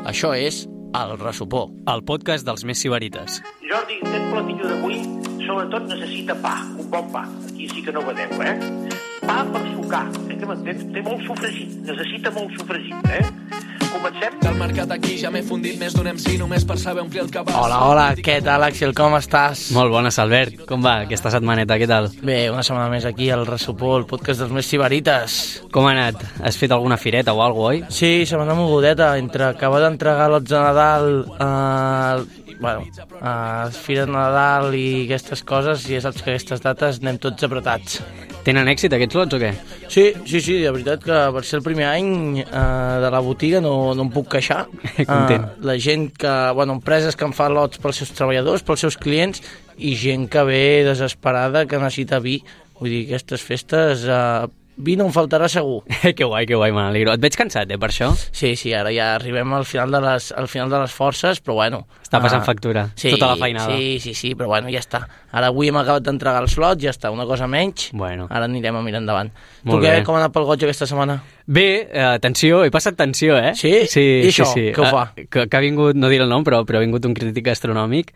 Això és El Ressupó, el podcast dels més sibarites. Jordi, aquest platillo d'avui sobretot necessita pa, un bon pa. Aquí sí que no vedeu, Pa per sucar, que m'entens? Té molt sofregit, necessita molt sofregit, Comencem? Del mercat aquí ja m'he fundit més d'un MC només per saber omplir el cabàs. Hola, què tal, Axel, com estàs? Molt bones, Albert. Com va aquesta setmaneta, què tal? Bé, una setmana més aquí al Ressupó, el podcast dels més sibarites. Com ha anat? Has fet alguna fireta o alguna cosa, oi? Sí, setmana mogudeta, entre acabar d'entregar lots de Nadal, Fira de Nadal i aquestes coses, i ja saps que aquestes dates anem tots apretats. Tenen èxit aquests lots o què? Sí, de veritat que per ser el primer any de la botiga no em puc queixar. Content. La gent que, empreses que en fan lots pels seus treballadors, pels seus clients, i gent que ve desesperada, que necessita vi. Vull dir, aquestes festes, vi no em faltarà segur. Que guai, me n'alegro. Et veig cansat, per això? Sí, ara ja arribem al final de les forces, però bueno... Està passant factura, sí, tota la feinada. Sí, però bueno, ja està. Ara avui hem acabat d'entregar els lots, ja està, una cosa menys. Bueno. Ara anirem a mirar endavant. Molt tu què, bé. com ha anat pel goig aquesta setmana? Bé, tensió, he passat tensió, Sí? I això, sí. què ho fa? Que ha vingut, no diré el nom, però ha vingut un crític gastronòmic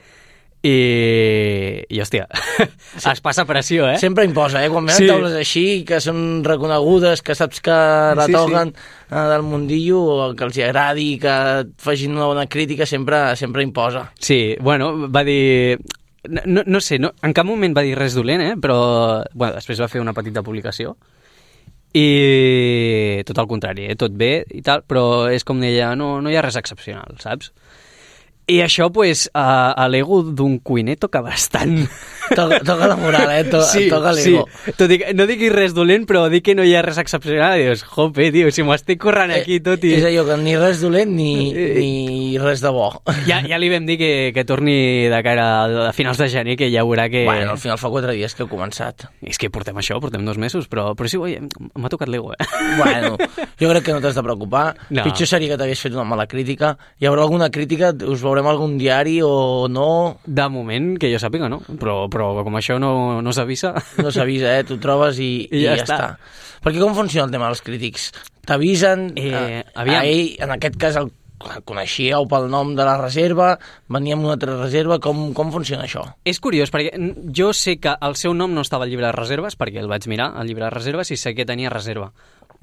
i hòstia, sí. Es passa pressió, Sempre imposa, quan venen taules així, que són reconegudes, que saps que la toquen del mundillo, o que els agradi, que facin una bona crítica, sempre imposa. Sí, bueno, va dir... No sé, en cap moment va dir res dolent, però després va fer una petita publicació i tot el contrari, tot bé i tal, però és com deia, no hi ha res excepcional, saps? I això, a l'ego d'un cuiner toca bastant. Toca la moral, toca l'ego. Sí. No diguis res dolent, però dic que no hi ha res excepcional. Dius, jope, tio, si m'ho estic currant aquí tot i... És allò que ni res dolent ni res de bo. Ja li vam dir que torni de cara a finals de gener, que ja veurà que... Bueno, al final fa 4 dies que he començat. És que portem 2 mesos, però sí, m'ha tocat l'ego, Bueno, jo crec que no t'has de preocupar. No. Pitjor seria que t'hagués fet una mala crítica. Hi haurà alguna crítica? Us veurem algun diari o no? De moment, que jo sàpiga, no. Però com això no s'avisa... No s'avisa, tu trobes i ja està. Perquè com funciona el tema dels crítics? T'avisen, ell, en aquest cas el coneixíeu pel nom de la reserva, venia amb una altra reserva, com funciona això? És curiós, perquè jo sé que el seu nom no estava al llibre de reserves, perquè el vaig mirar, al llibre de reserves, i sé que tenia reserva.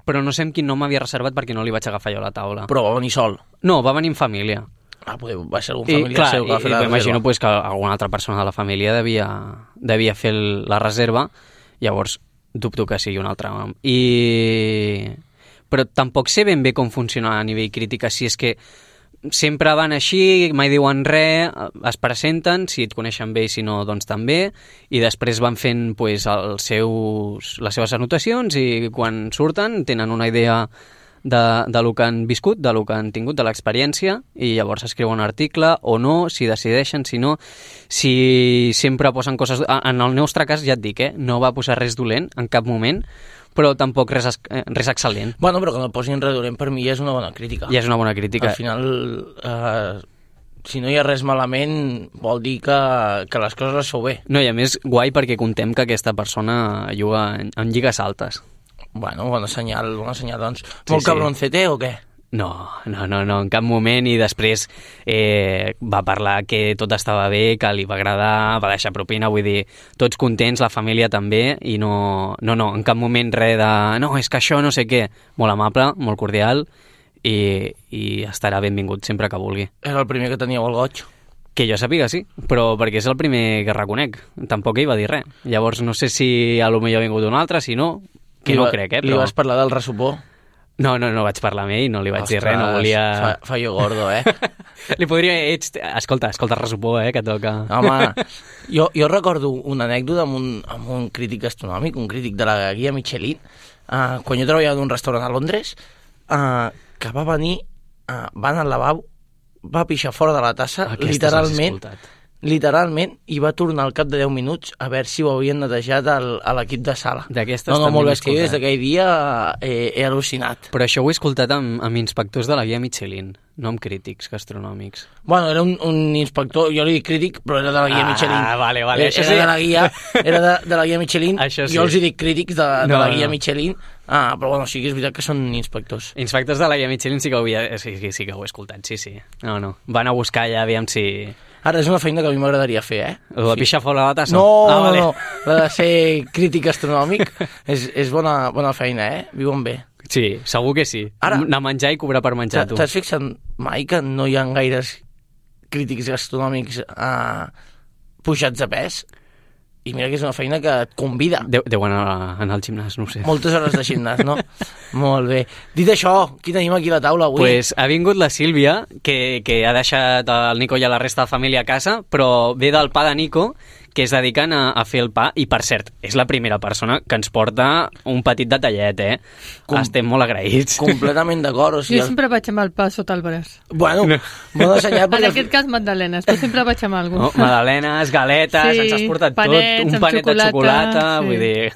Però no sé amb quin nom m'havia reservat perquè no li vaig agafar jo a la taula. Però va venir sol? No, va venir en família. Va ser algun familiar seu que va fer la reserva. M'imagino que alguna altra persona de la família devia fer la reserva, llavors dubto que sigui un altre nom. Però tampoc sé ben bé com funciona a nivell crítica, si és que sempre van així, mai diuen res, es presenten, si et coneixen bé i si no, doncs també, i després van fent les seves anotacions i quan surten tenen una idea de lo que han viscut, de lo que han tingut, de l'experiència, i llavors escriuen un article o no, si decideixen, si no, si sempre posen coses... En el nostre cas, ja et dic, no va posar res dolent en cap moment, però tampoc res excel·lent. Bueno, però que no posin res dolent per mi ja és una bona crítica. Ja és una bona crítica. Al final, si no hi ha res malament, vol dir que les coses les feu bé. No, i a més, guai perquè contem que aquesta persona juga en lligues altes. Bueno, bona senyal, doncs. Molt cabroncete o què? No, en cap moment, i després va parlar que tot estava bé, que li va agradar, va deixar propina, vull dir, tots contents, la família també, i no, en cap moment res de, no, és que això no sé què, molt amable, molt cordial, i estarà benvingut sempre que vulgui. Era el primer que teníeu al goig? Que jo sàpiga, sí, però perquè és el primer que reconec, tampoc ell va dir res. Llavors no sé si a lo millor ha vingut un altre, si no, que no crec, però... Li vas parlar del ressupó? No vaig parlar amb ell, no li vaig dir res, no volia... Fallo gordo, Li podria... Escolta, ressupó, que toca... Home, jo recordo una anècdota amb un crític gastronòmic, un crític de la guia Michelin, quan jo treballava en un restaurant a Londres, que va venir, va anar al lavabo, va pixar fora de la tassa, literalment, i va tornar al cap de 10 minuts a veure si ho havien netejat a l'equip de sala. Molt bé, és que jo des d'aquell dia he al·lucinat. Però això ho he escoltat amb inspectors de la guia Michelin. no amb crítics gastronòmics. Bueno, era un inspector, jo li dic crític, però era de la guia Michelin. Vale. Era de la guia, de la guia Michelin. Això sí. Jo els dic crítics de la guia Michelin. Però bueno, sí que és veritat que són inspectors. Inspectors de la guia Michelin sí que ho he escoltat, sí. No. Van a buscar allà, aviam si... Ara, és una feina que a mi m'agradaria fer, La pixar fora la tassa? No, vale. no, la de ser crític gastronòmic és bona feina, Viuen bé. Sí, segur que sí. Ara, anar a menjar i cobrar per menjar, tu. T'has fixat mai que no hi ha gaires crítics gastronòmics pujats a pes? I mira que és una feina que et convida. Deu anar al gimnàs, no ho sé. Moltes hores de gimnàs, no? Molt bé. Dit això, qui tenim aquí a la taula avui? Pues ha vingut la Sílvia, que ha deixat el Nico i a la resta de família a casa, però ve del pa de Nico, que es dediquen a fer el pa, i per cert, és la primera persona que ens porta un petit detallet, Estem molt agraïts. Completament d'acord. O sigui, jo sempre vaig amb el pa sota el braç. Bueno, bona senyal. En aquest cas, magdalenes, però sempre vaig amb alguna cosa. Magdalenes, galetes, ens has portat panets, tot, un panet de xocolata, vull dir...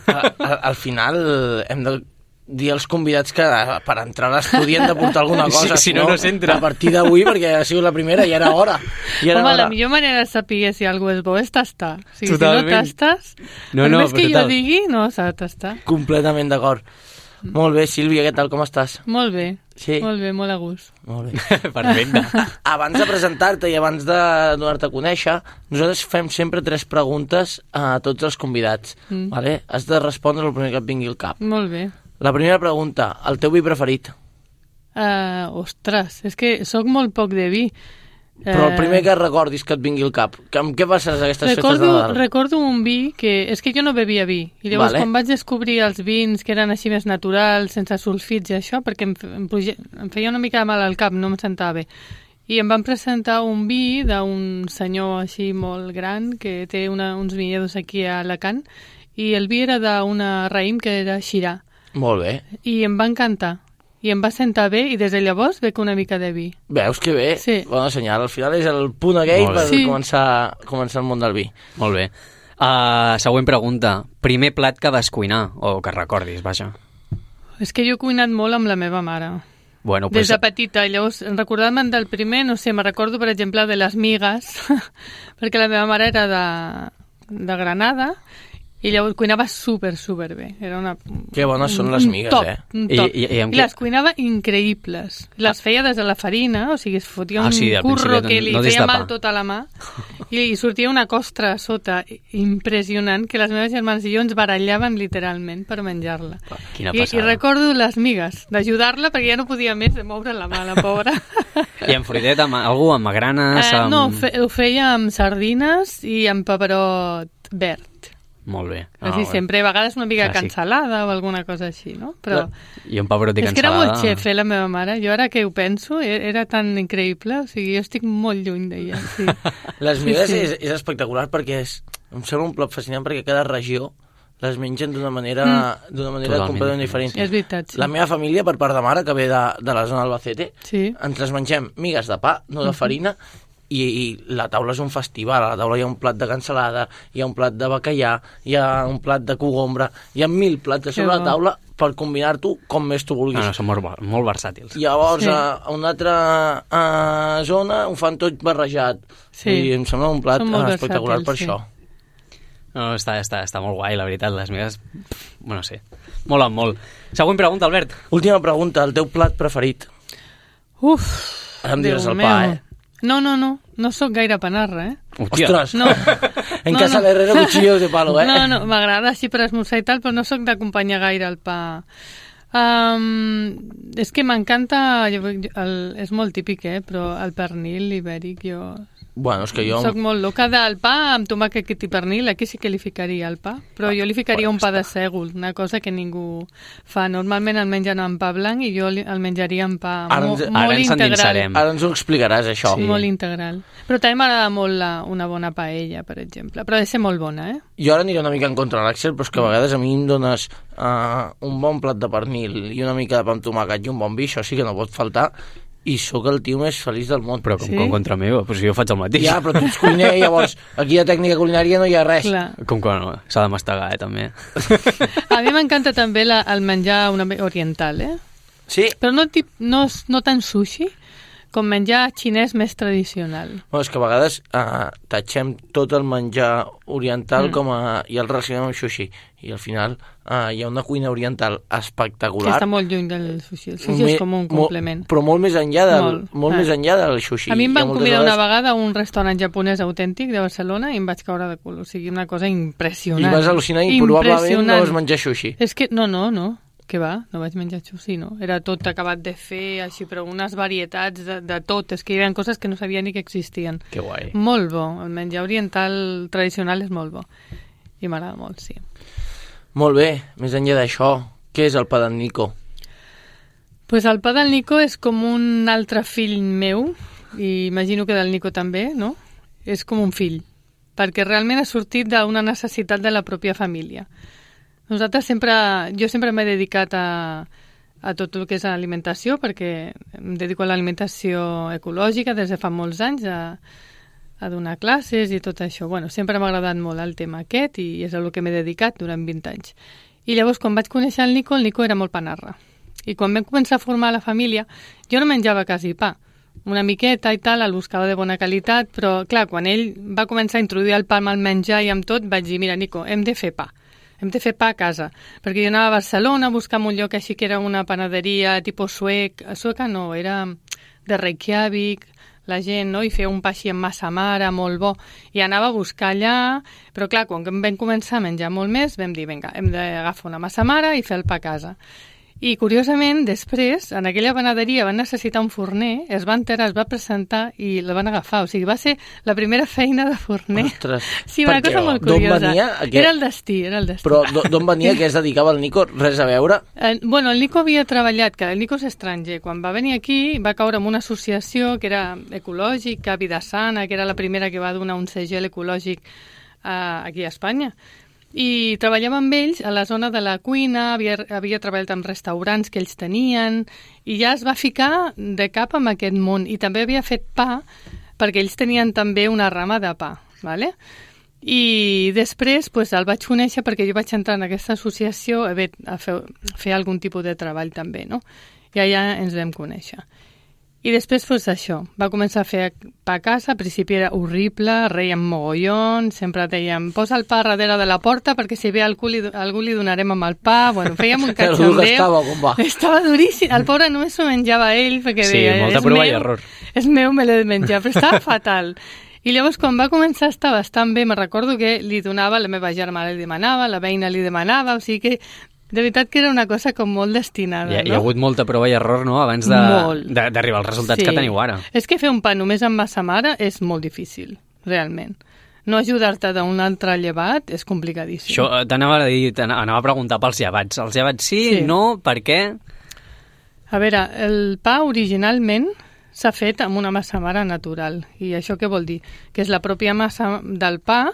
Al final hem de dir als convidats que per entrar a l'estudi han de portar alguna cosa. Si no s'entra. A partir d'avui, perquè ha sigut la primera i era hora. Home, la millor manera de saber si algú és bo és tastar. O sigui, totalment. Si no tastes, per més que jo digui, no s'ha de tastar. Completament d'acord. Molt bé, Sílvia, què tal, com estàs? Molt bé, sí? Molt bé, molt a gust. Molt bé. Perfecte. Abans de presentar-te i abans de donar-te a conèixer, nosaltres fem sempre 3 preguntes a tots els convidats. Vale? Has de respondre el primer que et vingui al cap. Molt bé. La primera pregunta, el teu vi preferit? Ostres, és que sóc molt poc de vi. Però el primer que recordis que et vingui al cap, amb què passes aquestes festes de Nadal? Recordo un vi que... És que jo no bevia vi, i llavors quan vaig descobrir els vins que eren així més naturals, sense sulfits i això, perquè em feia una mica de mal al cap, no em sentava bé. I em van presentar un vi d'un senyor així molt gran que té uns vinyedos aquí a Alacant, i el vi era d'una raïm que era Xirà. Molt bé. I em va encantar. I em va sentar bé, i des de llavors bec una mica de vi. Veus que bé? Sí. Bona senyal. Al final és el punt aquell per començar el món del vi. Molt bé. Següent pregunta. Primer plat que vas cuinar, o que recordis, vaja. És que jo he cuinat molt amb la meva mare. Bueno, pues... Des de petita. Llavors, recordant-me'n del primer, no sé, me recordo, per exemple, de les migues, perquè la meva mare era de Granada, i llavors cuinava super bé. Era que bones són les migues, un top. I les cuinava increïbles. Les feia des de la farina, o sigui, es fotia un curro que li feia mal tota la mà, i sortia una costra a sota impressionant, que les meves germanes i jo ens barallàvem literalment per menjar-la. I recordo les migues, d'ajudar-la, perquè ja no podia més de moure la mà, la pobra. I amb fruitet, algú amb magranes? No, ho feia amb sardines i amb pebrot verd. Molt bé. Sempre, a vegades una mica cansalada o alguna cosa així, no? Però i un pebrot i cansalada... És que era molt xef, la meva mare. Jo ara que ho penso, era tan increïble, o sigui, jo estic molt lluny d'ella. Sí. Les migues és espectacular perquè em sembla un plat fascinant perquè cada regió les mengen d'una manera completament diferent. És veritat, sí. La meva família, per part de mare, que ve de la zona d'Albacete, ens les mengem migues de pa, no de farina, i la taula és un festival. A la taula hi ha un plat de cansalada, hi ha un plat de bacallà, hi ha un plat de cogombra, hi ha 1000 plats a sobre la taula per combinar-t'ho com més tu vulguis. Són molt versàtils. Llavors, a una altra zona ho fan tot barrejat. I em sembla un plat espectacular per això. No, està molt guai, la veritat. Les migues, bueno, sí, molen molt. Següent pregunta, Albert. Última pregunta, el teu plat preferit? Ara em diràs el pa, No sóc gaire panarra, Ostres! No. En casa l'herrero cuchillos de palo, No, m'agrada així per esmorzar i tal, però no sóc d'acompanyar gaire el pa. És que m'encanta, és molt típic, però el pernil ibèric, Bueno, és que jo... Soc molt loca del pa amb tomàquet i pernil, aquí sí que li ficaria el pa, però jo li ficaria un pa de sègol, una cosa que ningú fa. Normalment el mengen amb pa blanc i jo el menjaria amb pa molt integral. Ara ens ho explicaràs, això. Sí. Molt integral. Però també m'agrada molt una bona paella, per exemple, però ha de ser molt bona, Jo ara aniré una mica en contra de l'Àxel, però és que a vegades a mi em dones un bon plat de pernil i una mica de pa amb tomàquet i un bon vi, això sí que no pot faltar, i sóc el tio més feliç del món. Però com contra meu, doncs jo faig el mateix. Ja, però tu ets cuiner, llavors aquí a tècnica culinària no hi ha res. Clar. Com que no, s'ha de mastegar, també. A mi m'encanta també el menjar oriental, Sí? Però no tan sushi, com menjar xinès més tradicional. Bueno, és que a vegades tatxem tot el menjar oriental i el relacionem amb sushi, i al final hi ha una cuina oriental espectacular. Que està molt lluny del sushi. El sushi és com un complement. Però molt més enllà més enllà del sushi. A mi em van convidar una vegada a un restaurant japonès autèntic de Barcelona i em vaig caure de cul. O sigui, una cosa impressionant. I vas al·lucinar i probablement no vas menjar sushi. És que, no. Què va? No vaig menjar sushi, no? Era tot acabat de fer, així, però unes varietats de tot. És que hi havia coses que no sabia ni que existien. Que guai. Molt bo. El menjar oriental tradicional és molt bo. I m'agrada molt, sí. Molt bé. Més enllà d'això, què és el pa d'en Nico? Pues el pa del Nico és com un altre fill meu, i imagino que del Nico també, no? És com un fill, perquè realment ha sortit d'una necessitat de la pròpia família. Jo sempre m'he dedicat a tot el que és alimentació, perquè em dedico a l'alimentació ecològica des de fa molts anys, a donar classes i tot això. Bueno, sempre m'ha agradat molt el tema aquest i és el que m'he dedicat durant 20 anys. I llavors, quan vaig conèixer el Nico era molt panarra. I quan vam començar a formar la família, jo no menjava quasi pa. Una miqueta i tal, el buscava de bona qualitat, però clar, quan ell va començar a introduir el pa amb el menjar i amb tot, vaig dir, mira, Nico, hem de fer pa. Hem de fer pa a casa, perquè jo anava a Barcelona a buscar un lloc així que era una panaderia tipus sueca no, era de Reykjavik, la gent, no? I feia un pa així amb massa mare, molt bo, i anava a buscar allà, però clar, quan vam començar a menjar molt més, vam dir, vinga, hem d'agafar una massa mare i fer el pa a casa. I, curiosament, després, en aquella panaderia van necessitar un forner, es va enterar, es va presentar i la van agafar. O sigui, va ser la primera feina de forner. Ostres, sí, una cosa molt curiosa. Era el destí. Però d'on venia que es dedicava el Nico? Res a veure? Bueno, el Nico havia treballat, que el Nico és estranger. Quan va venir aquí va caure en una associació que era ecològica, Vida Sana, que era la primera que va donar un segell ecològic aquí a Espanya. I treballava amb ells a la zona de la cuina, havia treballat amb restaurants que ells tenien, i ja es va ficar de cap amb aquest món. I també havia fet pa, perquè ells tenien també una rama de pa, ¿vale? I després el vaig conèixer perquè jo vaig entrar en aquesta associació a fer algun tipus de treball també, no? I allà ens vam conèixer. I després, això, va començar a fer pa a casa, al principi era horrible, reiem mogollon, sempre dèiem, posa el pa darrere de la porta perquè si ve algú li donarem amb el pa, bueno, fèiem un cachondeo. Estava duríssim, el pobre només s'ho menjava ell, perquè deia, molta prova i error. És meu, me l'he de menjar, però estava fatal. I llavors, quan va començar a estar bastant bé, me recordo que li donava, la meva germana li demanava, la veïna li demanava, o sigui que de veritat que era una cosa com molt destinada, no? Hi ha hagut molta prova i error, no?, abans d'arribar als resultats que teniu ara. És que fer un pa només amb massa mare és molt difícil, realment. No ajudar-te d'un altre llevat és complicadíssim. Això t'anava a preguntar pels llevats. Els llevats sí, no, per què? A veure, el pa originalment s'ha fet amb una massa mare natural. I això què vol dir? Que és la pròpia massa del pa,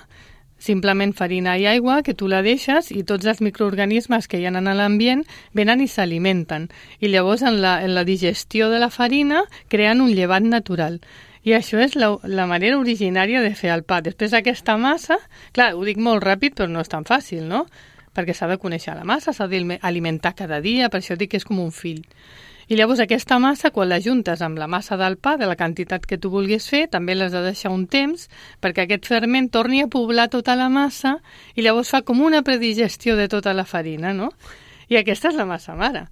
simplement farina i aigua, que tu la deixes i tots els microorganismes que hi ha a l'ambient venen i s'alimenten. I llavors en la digestió de la farina creen un llevat natural. I això és la manera originària de fer el pa. Després aquesta massa, clar, ho dic molt ràpid però no és tan fàcil, no? Perquè s'ha de conèixer la massa, s'ha d'alimentar cada dia, per això dic que és com un fill. I llavors aquesta massa, quan la juntes amb la massa del pa, de la quantitat que tu vulguis fer, també l'has de deixar un temps perquè aquest ferment torni a poblar tota la massa i llavors fa com una predigestió de tota la farina, no? I aquesta és la massa mare.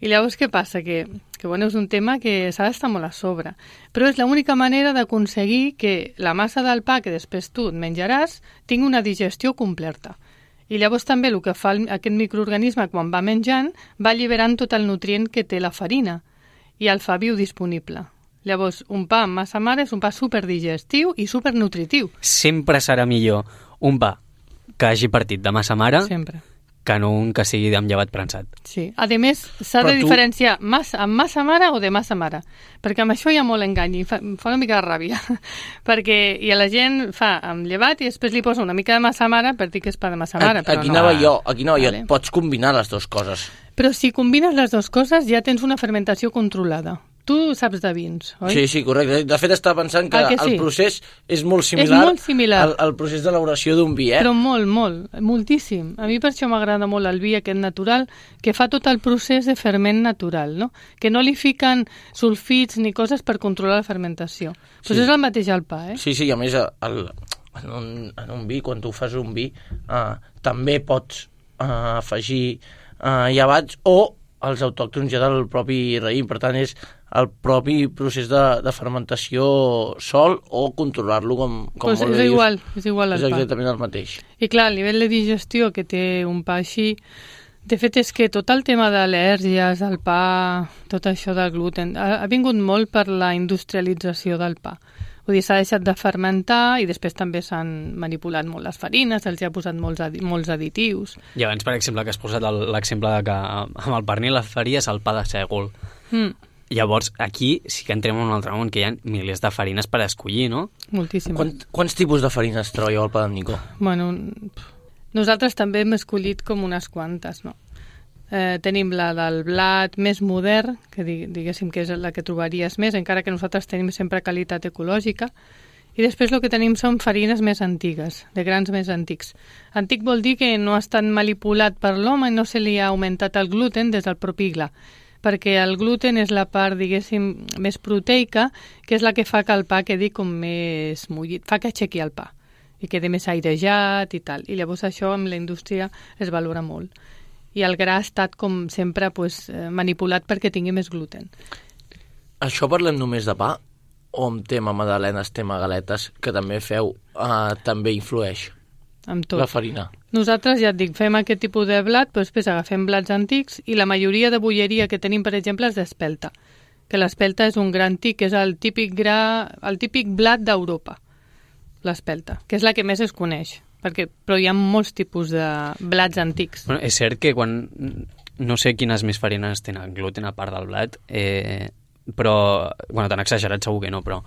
I llavors què passa? Que bueno, és un tema que s'ha d'estar molt a sobre. Però és l'única manera d'aconseguir que la massa del pa que després tu et menjaràs tingui una digestió completa. I llavors també el que fa aquest microorganisme quan va menjant va alliberant tot el nutrient que té la farina i el fa biodisponible. Llavors, un pa amb massa mare és un pa superdigestiu i supernutritiu. Sempre serà millor un pa que hagi partit de massa mare que no un que sigui amb llevat prensat. Sí. A més, s'ha de diferenciar amb massa mare o de massa mare, perquè amb això hi ha molt engany i fa una mica de ràbia, perquè la gent fa amb llevat i després li posa una mica de massa mare per dir que és pa de massa mare. Aquí anava jo, pots combinar les dues coses. Però si combines les dues coses ja tens una fermentació controlada. tu saps de vins, oi? Sí, correcte. De fet, estava pensant que el procés és molt similar, al procés d'elaboració d'un vi, Però moltíssim. A mi per això m'agrada molt el vi aquest natural, que fa tot el procés de ferment natural, no? Que no li fiquen sulfits ni coses per controlar la fermentació. Però és el mateix al pa, Sí, i a més, en un vi, quan tu fas un vi, també pots afegir llevats o els autòctons ja del propi raïm. Per tant, és el propi procés de fermentació sol o controlar-lo com pues molt bé dius. És igual al pa. És exactament el mateix. I clar, a nivell de digestió que té un pa així, de fet és que tot el tema d'al·lèrgies, del pa, tot això del gluten, ha vingut molt per la industrialització del pa. Vull dir, s'ha deixat de fermentar i després també s'han manipulat molt les farines, els hi ha posat molts additius. I abans, per exemple, que has posat l'exemple de que amb el pernil la faries el pa de sègol. Llavors, aquí sí que entrem en un altre món, que hi ha milers de farines per escollir, no? Moltíssimes. Quants tipus de farines trobeu al pa d'en Nico? Bueno, nosaltres també hem escollit com unes quantes, no? Tenim la del blat més modern, que diguéssim que és la que trobaries més, encara que nosaltres tenim sempre qualitat ecològica, i després el que tenim són farines més antigues, de grans més antics. Antic vol dir que no ha estat manipulat per l'home i no se li ha augmentat el gluten des del propi gla, perquè el gluten és la part, diguéssim, més proteica, que és la que fa que el pa quedi com més mullit, fa que aixequi el pa i quedi més airejat i tal. I llavors això amb la indústria es valora molt. I el gra ha estat, com sempre, manipulat perquè tingui més gluten. Això parlem només de pa? O amb tema magdalenes, tema galetes, que també feu, també influeix amb tot. La farina? Nosaltres, ja et dic, fem aquest tipus de blat, però després agafem blats antics i la majoria de bolleria que tenim, per exemple, és d'espelta. Que l'espelta és un gra antic, que és el típic blat d'Europa, l'espelta, que és la que més es coneix. Però hi ha molts tipus de blats antics. Bueno, és cert que quan... No sé quines més farines tenen gluten a part del blat, però... Bueno, tan exagerat segur que no, però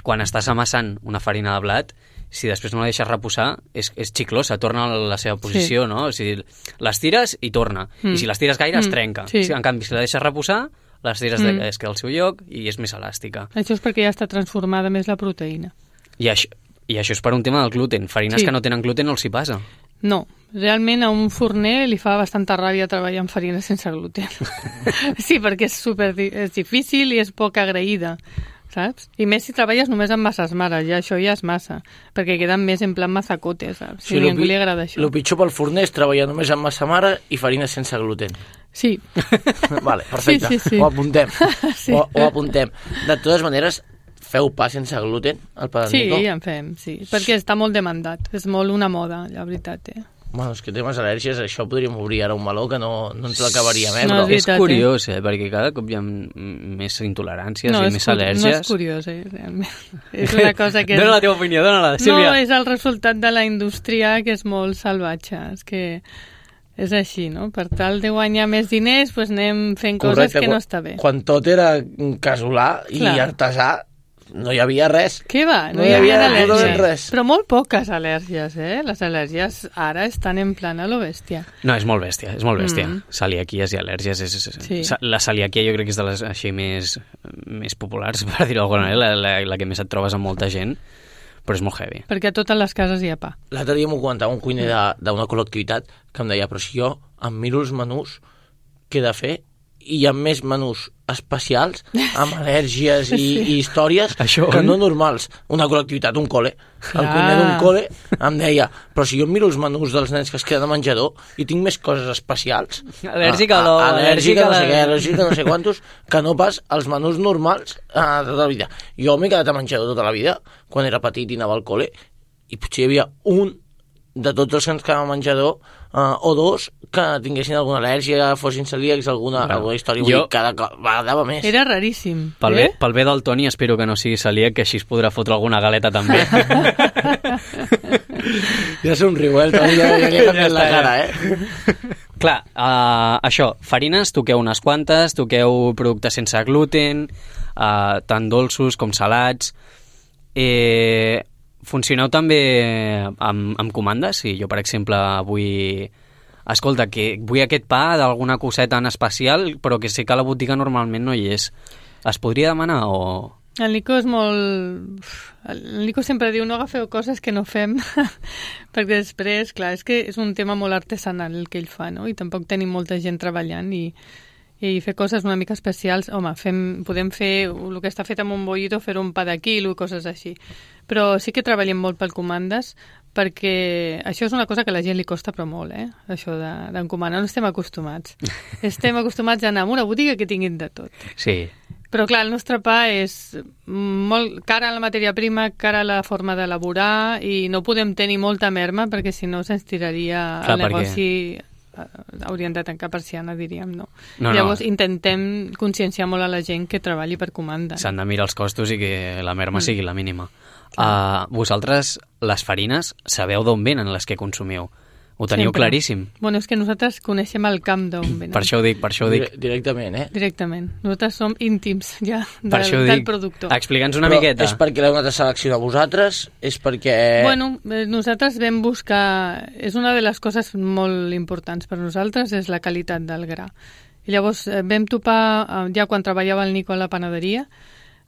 quan estàs amassant una farina de blat, si després no la deixes reposar, és xiclosa, torna a la seva posició, no? O sigui, les tires i torna. I si les tires gaire, es trenca. Sí. En canvi, si la deixes reposar, les tires es queda al seu lloc i és més elàstica. Això és perquè ja està transformada més la proteïna. I això és per un tema del gluten. Farines que no tenen gluten no els hi passa. No, realment a un forner li fa bastanta ràbia treballar amb farines sense gluten. Sí, perquè és difícil i és poc agraïda, saps? I més si treballes només amb masses mares, ja això ja és massa, perquè queden més en plan mazacote, saps? Si a ningú li agrada això. El pitjor pel forner és treballar només amb massa mare i farines sense gluten. Sí. Vale, perfecte. Sí. Ho apuntem. Sí. Ho apuntem. De totes maneres, feu pa sense gluten, el pa d'en Nico? Sí, en fem, sí, perquè està molt demandat, és molt una moda, la veritat, Bueno, és que temes al·lèrgies, això podríem obrir ara un meló que no ens l'acabaríem, No, és curiós, perquè cada cop hi ha més intoleràncies i més al·lèrgies. No és curiós, realment. És una cosa que... Dóna la teva opinió, dóna-la, Sílvia. No, és el resultat de la indústria que és molt salvatge, és que és així, no? Per tal de guanyar més diners, doncs anem fent coses que no està bé. Quan tot era casolà i artesà, no hi havia res. Què va? No hi havia al·lèrgies. Però molt poques al·lèrgies, Les al·lèrgies ara estan en plan a lo bèstia. No, és molt bèstia, és molt bèstia. Celiaquies i al·lèrgies. Sí. La celiaquia jo crec que és de les així més populars, per dir-ho d'alguna manera, la que més et trobes amb molta gent, però és molt heavy. Perquè a totes les cases hi ha pa. L'altre dia m'ho comentava un cuiner d'una col·lectivitat que em deia, però si jo em miro els menús que he de fer i hi ha més menús especials amb al·lèrgies i històries que no normals. Una col·lectivitat, un col·le. El cuiner d'un col·le em deia, però si jo miro els menús dels nens que es queden a menjador i tinc més coses especials, al·lèrgica a l'ou, al·lèrgica no sé què, al·lèrgica no sé quantos, que no pas els menús normals tota la vida. Jo m'he quedat a menjador tota la vida, quan era petit i anava al col·le, i potser hi havia un de tots els que ens quedàvem a menjador o dos que tinguessin alguna al·lèrgia, fossin celíacs, alguna història. Vull dir, cada vegada va més. Era raríssim. Pel bé del Toni espero que no sigui celíac, que així es podrà fotre alguna galeta també. Ja somriu, el Toni ja li ha canviat la cara, Clar, això, farines, toqueu unes quantes, toqueu productes sense gluten, tant dolços com salats. Funcioneu també amb comandes? Si jo, per exemple, vull... Escolta, que vull aquest pa d'alguna coseta en especial, però que sé que a la botiga normalment no hi és. Es podria demanar o...? El Nico és molt... El Nico sempre diu no agafeu coses que no fem, perquè després, clar, és que és un tema molt artesanal el que ell fa, no? I tampoc tenim molta gent treballant i fer coses una mica especials, home, podem fer el que està fet amb un bollito, fer un pa de quilo i coses així. Però sí que treballem molt pel comandes, perquè això és una cosa que a la gent li costa però molt, això d'encomanar. No estem acostumats. Estem acostumats a anar a una botiga que tinguin de tot. Sí. Però clar, el nostre pa és molt cara a la matèria prima, cara a la forma d'elaborar i no podem tenir molta merma perquè si no se'ns tiraria el negoci... haurien de tancar persiana, diríem, no? Llavors intentem conscienciar molt a la gent que treballi per comanda. S'han de mirar els costos i que la merma sigui la mínima. Vosaltres, les farines, sabeu d'on venen les que consumiu? Ho teniu claríssim? Bueno, és que nosaltres coneixem el camp d'on venen. Per això ho dic. Directament, Directament. Nosaltres som íntims ja del productor. Explica'ns una miqueta. És perquè l'heu anat a seleccionar vosaltres? És perquè... Bueno, nosaltres vam buscar... És una de les coses molt importants per nosaltres, és la qualitat del gra. I llavors vam topar, ja quan treballava el Nico a la panaderia,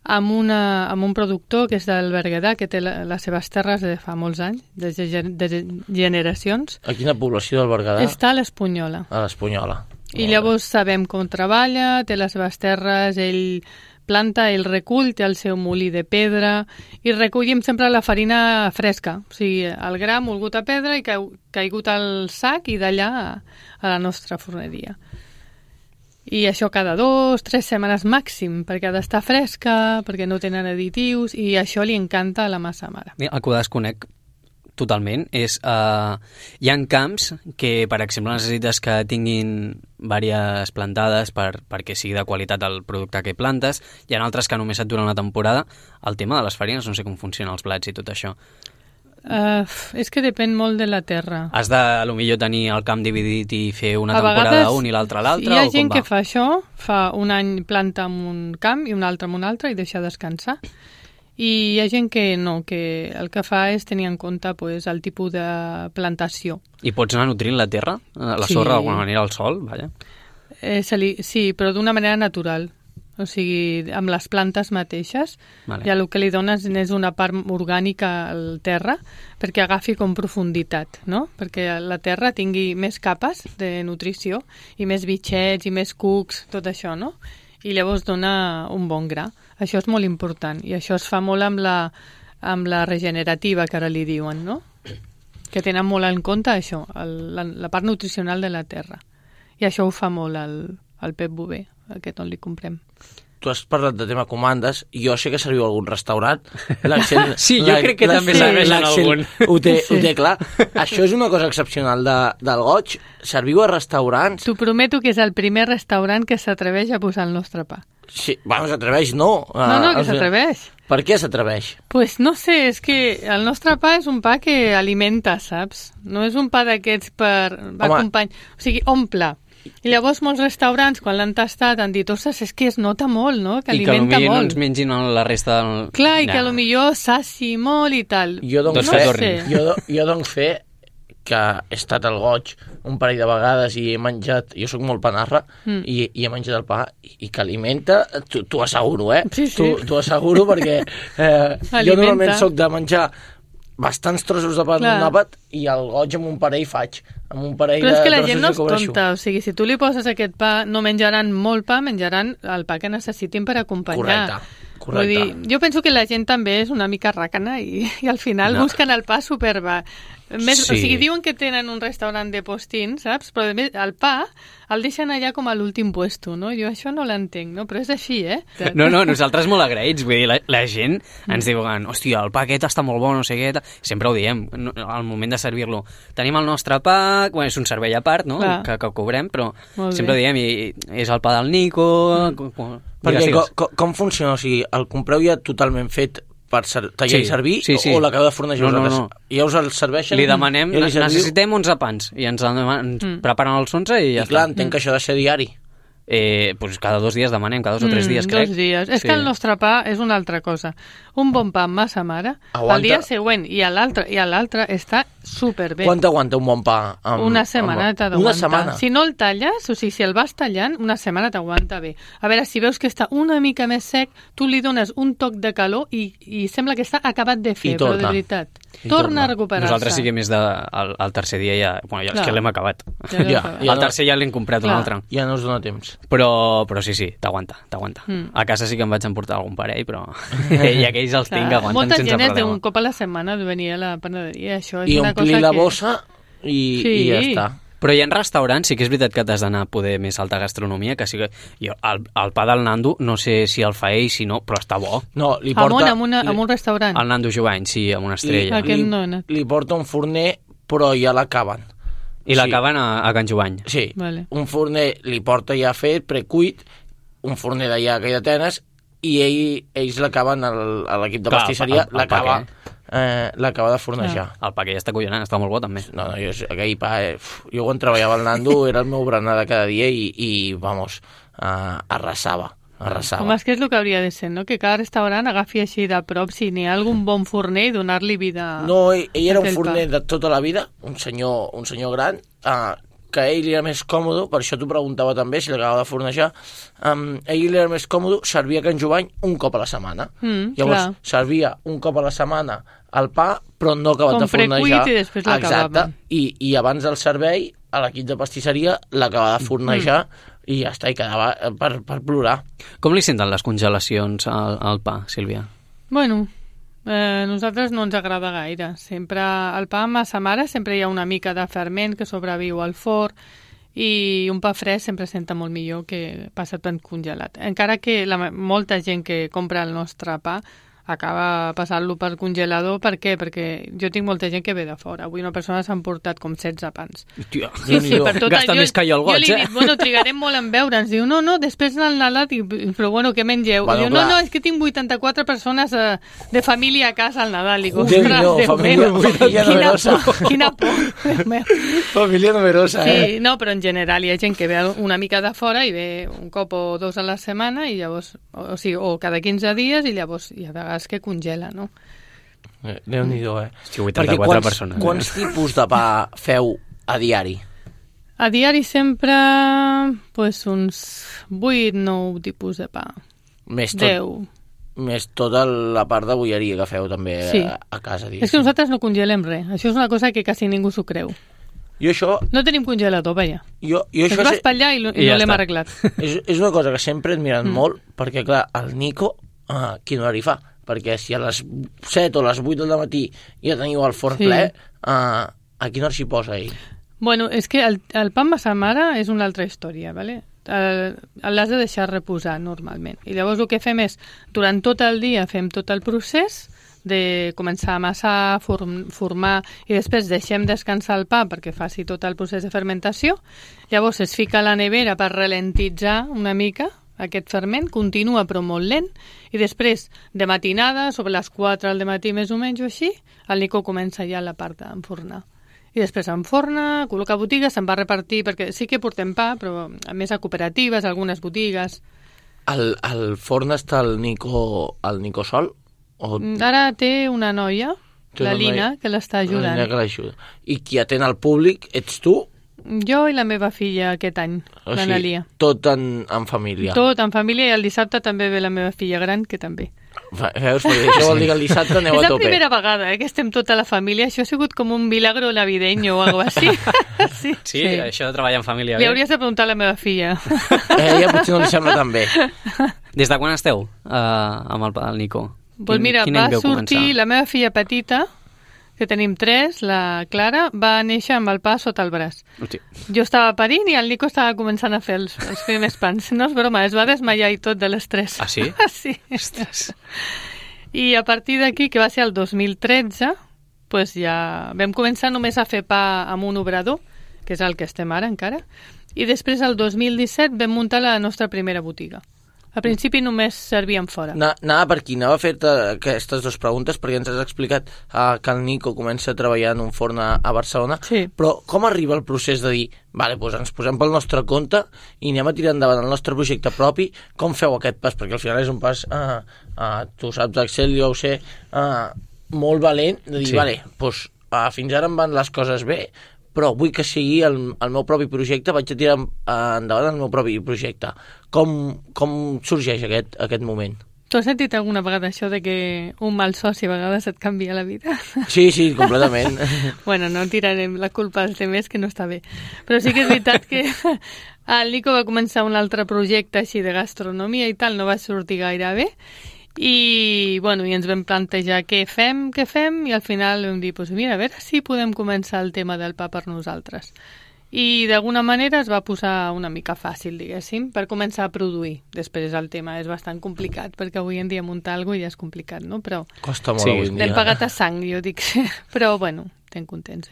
amb un productor que és del Berguedà, que té les seves terres de fa molts anys, de generacions. A quina població del Berguedà? Està a l'Espunyola. A l'Espunyola. I llavors sabem com treballa, té les seves terres, ell planta, ell recull, té el seu molí de pedra, i recollim sempre la farina fresca, o sigui, el gra molgut a pedra i caigut al sac i d'allà a la nostra forneria. I això cada 2-3 setmanes màxim, perquè ha d'estar fresca, perquè no tenen additius, i això li encanta a la massa mare. El que ho desconec totalment és... hi ha camps que, per exemple, necessites que tinguin diverses plantades perquè sigui de qualitat el producte que plantes. Hi ha altres que només et duren una temporada. El tema de les farines, no sé com funcionen els plats i tot això. És que depèn molt de la terra. Has de, potser, tenir el camp dividit i fer una temporada un i l'altra a l'altra? Hi ha gent que fa això, fa un any planta en un camp i un altre en un altre i deixa descansar. I hi ha gent que no, que el que fa és tenir en compte el tipus de plantació. I pots anar nutrint la terra? La sorra d'alguna manera, al sol? Vaja. Sí, però d'una manera natural. O sigui, amb les plantes mateixes, ja el que li dones és una part orgànica al terra perquè agafi com profunditat, no? Perquè la terra tingui més capes de nutrició i més bitxets i més cucs, tot això, no? I llavors dona un bon gra. Això és molt important i això es fa molt amb la regenerativa, que ara li diuen, no? Que tenen molt en compte això, la part nutricional de la terra. I això ho fa molt el Pep Bové, aquest on li comprem. Tu has parlat de tema comandes, i jo sé que serviu a algun restaurant. Sí, jo crec que també serveix en algun. Ho té clar. Això és una cosa excepcional del goig. Serviu a restaurants. T'ho prometo que és el primer restaurant que s'atreveix a posar el nostre pa. Sí, bueno, s'atreveix, no. No, que s'atreveix. Per què s'atreveix? Pues no sé, és que el nostre pa és un pa que alimenta, saps? No és un pa d'aquests per acompanyar. O sigui, omple. I llavors molts restaurants, quan l'han tastat, han dit, ostres, és que es nota molt, no? Que alimenta molt. I que potser no ens mengin la resta del... Clar, i que potser saci molt i tal. Jo dono fe que he estat al goig un parell de vegades i he menjat, jo sóc molt panarra, i he menjat el pa i que alimenta, t'ho asseguro, Sí. T'ho asseguro perquè jo normalment soc de menjar bastants trossos de pa en un àpat i el goig amb un parell faig. Amb un parell però és que la gent no és tonta, o sigui, si tu li poses aquest pa, no menjaran molt pa, menjaran el pa que necessitin per acompanyar. Correcte. Vull dir, jo penso que la gent també és una mica ràcana i al final busquen el pa superba. Més, sí. O sigui, diuen que tenen un restaurant de postín, saps? Però el pa el deixen allà com a l'últim puesto, no? Jo això no l'entenc, no? Però és així, No, nosaltres molt agraïts, vull dir, la gent ens diuen, hòstia, el pa aquest està molt bo, no sé què, sempre ho diem, al moment de servir-lo. Tenim el nostre pa, bueno, és un servei a part, no? Que cobrem, però sempre ho diem, i és el pa del Nico... Perquè com funciona? O sigui, el compreu ja totalment fet per tallar i servir, o l'acabeu de fornejar vosaltres? No. Ja us el serveixen? Li demanem, necessitem 11 pans, i ens preparen els 11 i ja està. I clar, entenc que això ha de ser diari. pues cada 2 dies demanem, cada 2 o 3 dies, crec. 2 dies. És que el nostre pa és una altra cosa. Un bon pa amb massa mare, Aguanta. el dia següent i a l'altre està superbé. Quant aguanta un bon pa? Una setmana t'ha d'aguantar. Una setmana? Si no el talles, o sigui, si el vas tallant, una setmana t'aguanta bé. A veure, si veus que està una mica més sec, tu li dones un toc de calor i sembla que està acabat de fer, però de veritat. Torna a recuperar-se. Nosaltres sí que més al tercer dia ja... Bueno, ja és que l'hem acabat. Ja. Al tercer ja l'hem comprat un altre. Ja no us dona temps. Però sí, t'aguanta. A casa sí que em vaig emportar algun parell, però i aquells els tinc que aguanten sense problema. Molta gent és d'un cop a la setmana de venir a la panaderia, això és I una cosa que... omplir la bossa i ja està. Però hi ha restaurants, sí que és veritat que t'has d'anar a poder més alta gastronomia, que sí que... El pa del Nando, no sé si el fa ell, si no, però està bo. No, li porta... Amb un restaurant. El Nando Jovany, sí, amb una estrella. Li porta un forner, però ja l'acaben. I l'acaben a Can Jovany. Sí, vale. Un forner li porta ja fet, precuit, un forner d'allà que hi d'Atenes, i ells l'acaben, l'equip de pastisseria, l'acaba de fornejar. El pa que ja està collonant, està molt bo també. No, aquell pa, jo quan treballava al Nando era el meu berenar de cada dia i vamos, arrasava. Home, és que és el que hauria de ser, no? Que cada restaurant agafi així de prop, si n'hi ha algun bon forner, i donar-li vida... No, ell era un forner de tota la vida, un senyor gran, que a ell li era més còmode, per això t'ho preguntava també, si l'acabava de fornejar, a ell li era més còmode servir a Can Jovany un cop a la setmana. Llavors, servia un cop a la setmana el pa, però no acabat de fornejar. Com precuit i després l'acabaven. Exacte, i abans del servei, a l'equip de pastisseria l'acabava de fornejar, i ja està, i quedava per plorar. Com li senten les congelacions al pa, Sílvia? Bueno, nosaltres no ens agrada gaire. Sempre el pa amb massa mare sempre hi ha una mica de ferment que sobreviu al forn i un pa fresc sempre senta molt millor que passat ben congelat. Encara que molta gent que compra el nostre pa acaba passant-lo per congelador. Per què? Perquè jo tinc molta gent que ve de fora. Avui una persona s'ha emportat com 16 pans. Hòstia, sí, per tot gasta més que jo el goig, Jo li dic, bueno, trigarem molt en veure. Ens diu, no, després del Nadal, però bueno, què mengeu? Bueno, diu, no, és que tinc 84 persones de família a casa al Nadal. Dic, ostres, família numerosa. Quina por. Família numerosa, Sí, no, però en general hi ha gent que ve una mica de fora i ve un cop o 2 a la setmana i llavors, o cada 15 dies i llavors hi ha vegades que congela, no? Déu-n'hi-do, Hosti, 84 persones. Quants tipus de pa feu a diari? A diari sempre uns 8-9 tipus de pa. Més tot, 10. Més tota la part de bolleria que feu també a casa. És que nosaltres no congelem res. Això és una cosa que quasi ningú s'ho creu. Jo això... No tenim congelador, veia. Això vas per allà i no l'hem arreglat. És una cosa que sempre he admirat molt, perquè clar, el Nico, quin horari fa? Perquè si a les 7 o a les 8 del matí ja teniu el forn ple, a quina hora s'hi posa ell? Bueno, és que el pa amb massa mare és una altra història, ¿vale? L'has de deixar reposar normalment. I llavors el que fem és, durant tot el dia fem tot el procés de començar a amassar, formar, i després deixem descansar el pa perquè faci tot el procés de fermentació. Llavors es fica a la nevera per ralentitzar una mica aquest ferment, continua però molt lent, i després, de matinada, sobre les 4 del matí més o menys o així, el Nico comença ja la part d'enfornar. I després enforna, col·loca botigues, se'n va repartir, perquè sí que portem pa, però a més a cooperatives, algunes botigues. Al forn està el Nico sol? Ara té una noia, la Lina, que l'està ajudant. I qui atén al públic ets tu? Jo i la meva filla aquest any, l'Analia. Tot en família. Tot en família, i el dissabte també ve la meva filla gran, que també. Veus? Això vol dir que el dissabte aneu a tope. És la primera vegada que estem tota la família. Això ha sigut com un milagro navideño o alguna cosa així. Sí, això de treballar en família. Li hauries de preguntar a la meva filla. Ella potser no li sembla tan bé. Des de quan esteu amb el Nico? Doncs mira, va sortir la meva filla petita, que tenim 3, la Clara, va néixer amb el pa sota el braç. Hosti. Jo estava parint i el Nico estava començant a fer els primers pans. No és broma, es va desmaiar i tot de l'estrès. Ah, sí? Sí. I a partir d'aquí, que va ser el 2013, pues ja vam començar només a fer pa amb un obrador, que és el que estem ara encara, i després el 2017 vam muntar la nostra primera botiga. A principi només servien fora. Anava per aquí, anava a fer-te aquestes dues preguntes, perquè ens has explicat que el Nico comença a treballar en un forn a Barcelona, sí. Però com arriba el procés de dir, vale, doncs ens posem pel nostre compte i anem a tirar endavant el nostre projecte propi? Com feu aquest pas? Perquè al final és un pas, tu saps Excel, jo ho sé, molt valent, de dir, sí. Vale, doncs fins ara em van les coses bé, però vull que sigui el meu propi projecte, vaig a tirar endavant el meu propi projecte. Com sorgeix aquest moment? Tu has sentit alguna vegada això de que un mal soci a vegades et canvia la vida? Sí, completament. Bueno, no tirarem la culpa als demés, que no està bé. Però sí que és veritat que el Nico va començar un altre projecte així de gastronomia i tal, no va sortir gaire bé, i ens vam plantejar què fem, i al final vam dir, mira, a veure si podem començar el tema del pa per nosaltres. I d'alguna manera es va posar una mica fàcil, diguéssim, per començar a produir. Després el tema és bastant complicat, perquè avui en dia muntar alguna cosa ja és complicat, no? Però costa molt avui en dia. L'hem pagat a sang, jo dic, però estem contents.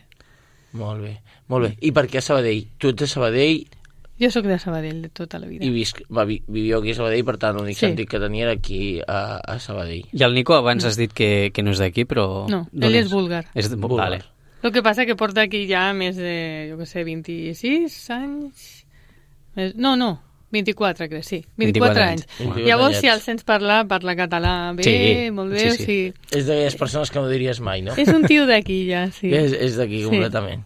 Molt bé. I per què a Sabadell? Tu ets de Sabadell? Jo sóc de Sabadell de tota la vida. I viviu aquí a Sabadell, per tant, l'únic sentit que tenia era aquí a Sabadell. I el Nico abans has dit que no és d'aquí, però... No, ell és búlgar. És búlgar. Vale. El que passa que porta aquí ja més de, 26 anys... No, 24, crec, sí. 24 anys. Llavors, si el sents parlar, parla català bé, molt bé. Sí. És d'aquelles persones que no diries mai, no? És un tio d'aquí, ja, sí. És d'aquí, completament.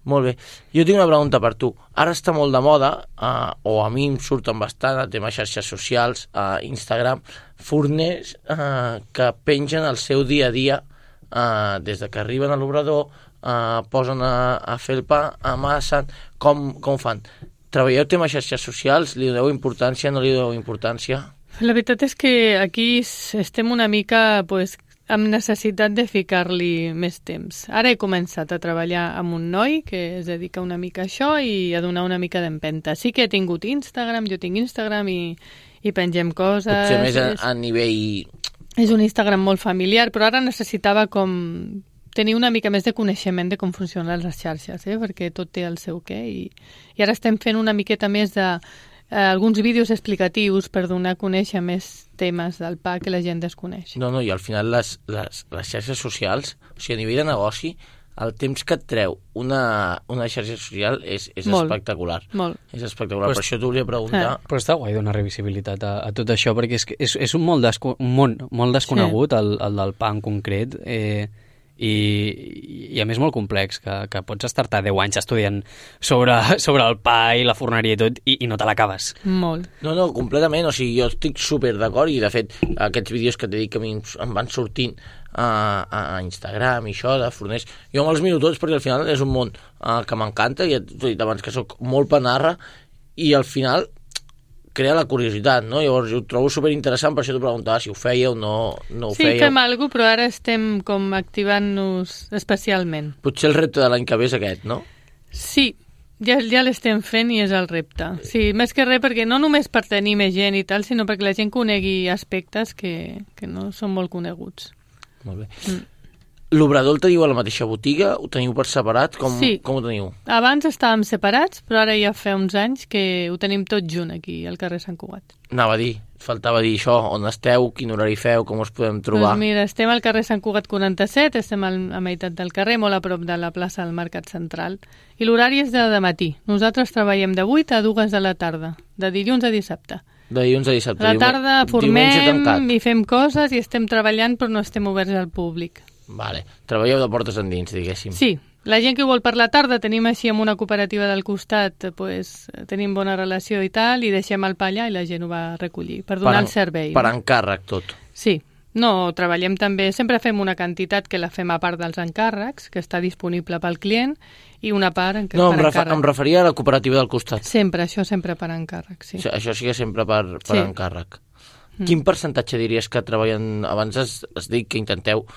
Molt bé. Jo tinc una pregunta per tu. Ara està molt de moda, o a mi em surten bastant, el tema xarxes socials, Instagram, forners que pengen el seu dia a dia, des de que arriben a l'obrador, posen a fer el pa, amassen, com ho fan? Treballeu tema xarxes socials? Li doneu importància, no li doneu importància? La veritat és que aquí estem una mica, amb necessitat de ficar-li més temps. Ara he començat a treballar amb un noi que es dedica una mica a això i a donar una mica d'empenta. Sí que he tingut Instagram, jo tinc Instagram i pengem coses. Potser més a nivell... És un Instagram molt familiar, però ara necessitava tenir una mica més de coneixement de com funcionen les xarxes, perquè tot té el seu què. I ara estem fent una miqueta més de... alguns vídeos explicatius per donar a conèixer més temes del pa que la gent desconeix. No, i al final les xarxes socials, o sigui, a nivell de negoci, el temps que et treu una xarxa social és molt, espectacular. Molt. És espectacular, per això t'ho volia preguntar. Però està guai donar revisibilitat a tot això, perquè és un món molt desconegut, el del pa en concret, i a més molt complex, que pots estar-te 10 anys estudiant sobre el pa i la forneria i tot i no te l'acabes. Molt. No, completament, o sigui, jo estic super d'acord i de fet aquests vídeos que t'he dit que a mi em van sortint a Instagram i això de forners, jo me'ls miro tots perquè al final és un món que m'encanta i t'he dit abans que soc molt panarra i al final crea la curiositat, no? Llavors ho trobo superinteressant, per això t'ho preguntava si ho fèieu o no ho fèieu. Sí, fem alguna cosa, però ara estem com activant-nos especialment. Potser el repte de l'any que ve és aquest, no? Sí, ja l'estem fent i és el repte. Sí, més que res perquè no només per tenir més gent i tal, sinó perquè la gent conegui aspectes que no són molt coneguts. Molt bé. L'obrador el teniu a la mateixa botiga? Ho teniu per separat? Com ho teniu? Abans estàvem separats, però ara ja fa uns anys que ho tenim tot junt aquí, al carrer Sant Cugat. Anava a dir, faltava dir això, on esteu, quin horari feu, com us podem trobar? Doncs mira, estem al carrer Sant Cugat 47, estem a meitat del carrer, molt a prop de la plaça del Mercat Central, i l'horari és de matí. Nosaltres treballem de 8 a 2 de la tarda, de dilluns a dissabte. De dilluns a dissabte. A la tarda formem i fem coses i estem treballant, però no estem oberts al públic. Vale. Treballeu de portes endins, diguéssim. Sí, la gent que vol per la tarda tenim així amb una cooperativa del costat, tenim bona relació i tal, i deixem el pa allà i la gent ho va recollir per donar el servei. Per encàrrec tot. Sí, no, treballem també, sempre fem una quantitat que la fem a part dels encàrrecs, que està disponible pel client, i una part per encàrrec. Em referia a la cooperativa del costat. Sempre per encàrrec, sí. Això sí que sempre per encàrrec. Quin percentatge diries que treballen... Abans has dit que intenteu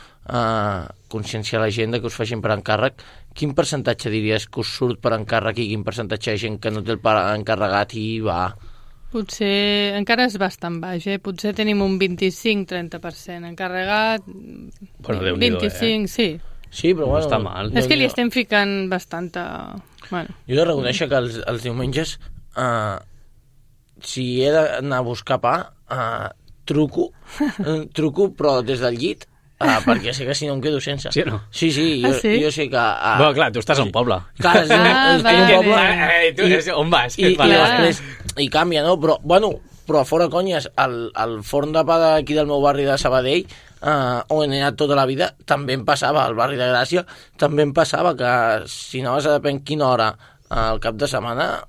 conscienciar la gent que us facin per encàrrec. Quin percentatge diries que us surt per encàrrec i quin percentatge de gent que no té el pa encarregat i va? Potser encara és bastant baix, Potser tenim un 25-30% encarregat, bueno, 25, sí. Sí, però bueno... No està mal. És que li estem ficant bastanta... Bueno. Jo he de reconèixer que els diumenges si he d'anar a buscar pa, truco, però des del llit, perquè sé que si no em quedo sense. Sí o no? Sí, jo sé que... Bueno, clar, tu estàs a un poble. Clar, és un poble... Tu on vas? I canvia, no? Però fora conyes, el forn de pa d'aquí del meu barri de Sabadell, on he anat tota la vida, també em passava, al barri de Gràcia, també em passava que si anaves a depèn quina hora al cap de setmana,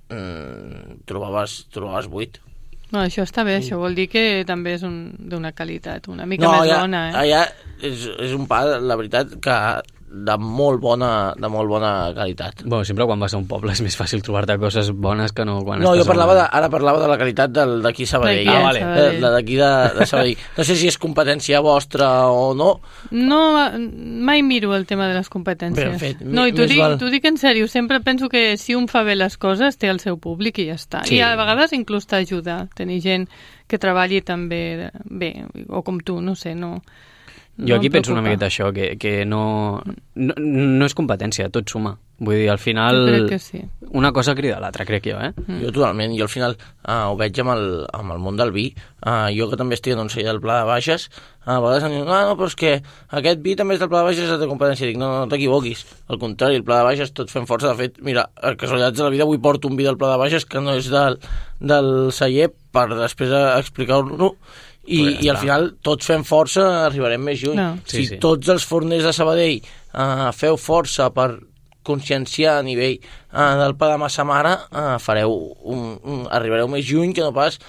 trobaves buit. No, això està bé, això vol dir que també és d'una qualitat una mica més bona. Allà és un pa, la veritat, que de molt bona qualitat. Bueno, sempre quan vas a un poble és més fàcil trobar-te coses bones que no quan no, estàs... No, ara parlava de la qualitat d'aquí Sabadell. Vale. D'aquí de Sabadell. No sé si és competència vostra o no. No, mai miro el tema de les competències. Ben fet. No, i t'ho dic en sèrio, sempre penso que si un fa bé les coses té el seu públic i ja està. Sí. I a vegades inclús t'ajuda tenir gent que treballi també bé, o com tu, no sé, no... Jo aquí penso una miqueta això, que no és competència, tot suma. Vull dir, al final... Jo crec que sí. Una cosa crida a l'altra, crec jo, Jo totalment, i al final ho veig amb el món del vi. Jo que també estic en un celler del Pla de Baixes, a vegades em diuen, no, però és que aquest vi també és del Pla de Baixes, és de competència. Dic, no t'equivoquis. Al contrari, el Pla de Baixes tots fem força. De fet, mira, a casualitats de la vida avui porto un vi del Pla de Baixes que no és del celler per després explicar-lo. I al final tots fem força, arribarem més lluny. No. Si tots els forners de Sabadell feu força per conscienciar a nivell del pa de massa mare, arribareu més lluny que no pas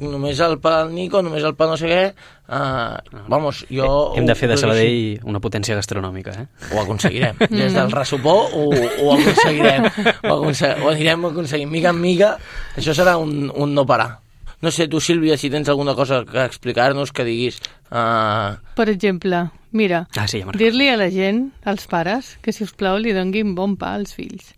només el pa del Nico, només el pa no sé què. Hem de fer de Sabadell una potència gastronòmica, Ho aconseguirem. Des del ressupó ho aconseguirem. Ho anirem aconseguint mica en mica. Això serà un no parar. No sé, tu, Sílvia, si tens alguna cosa que explicar-nos, que diguis... Per exemple, mira, dir-li a la gent, als pares, que si us plau li donguin bon pa als fills.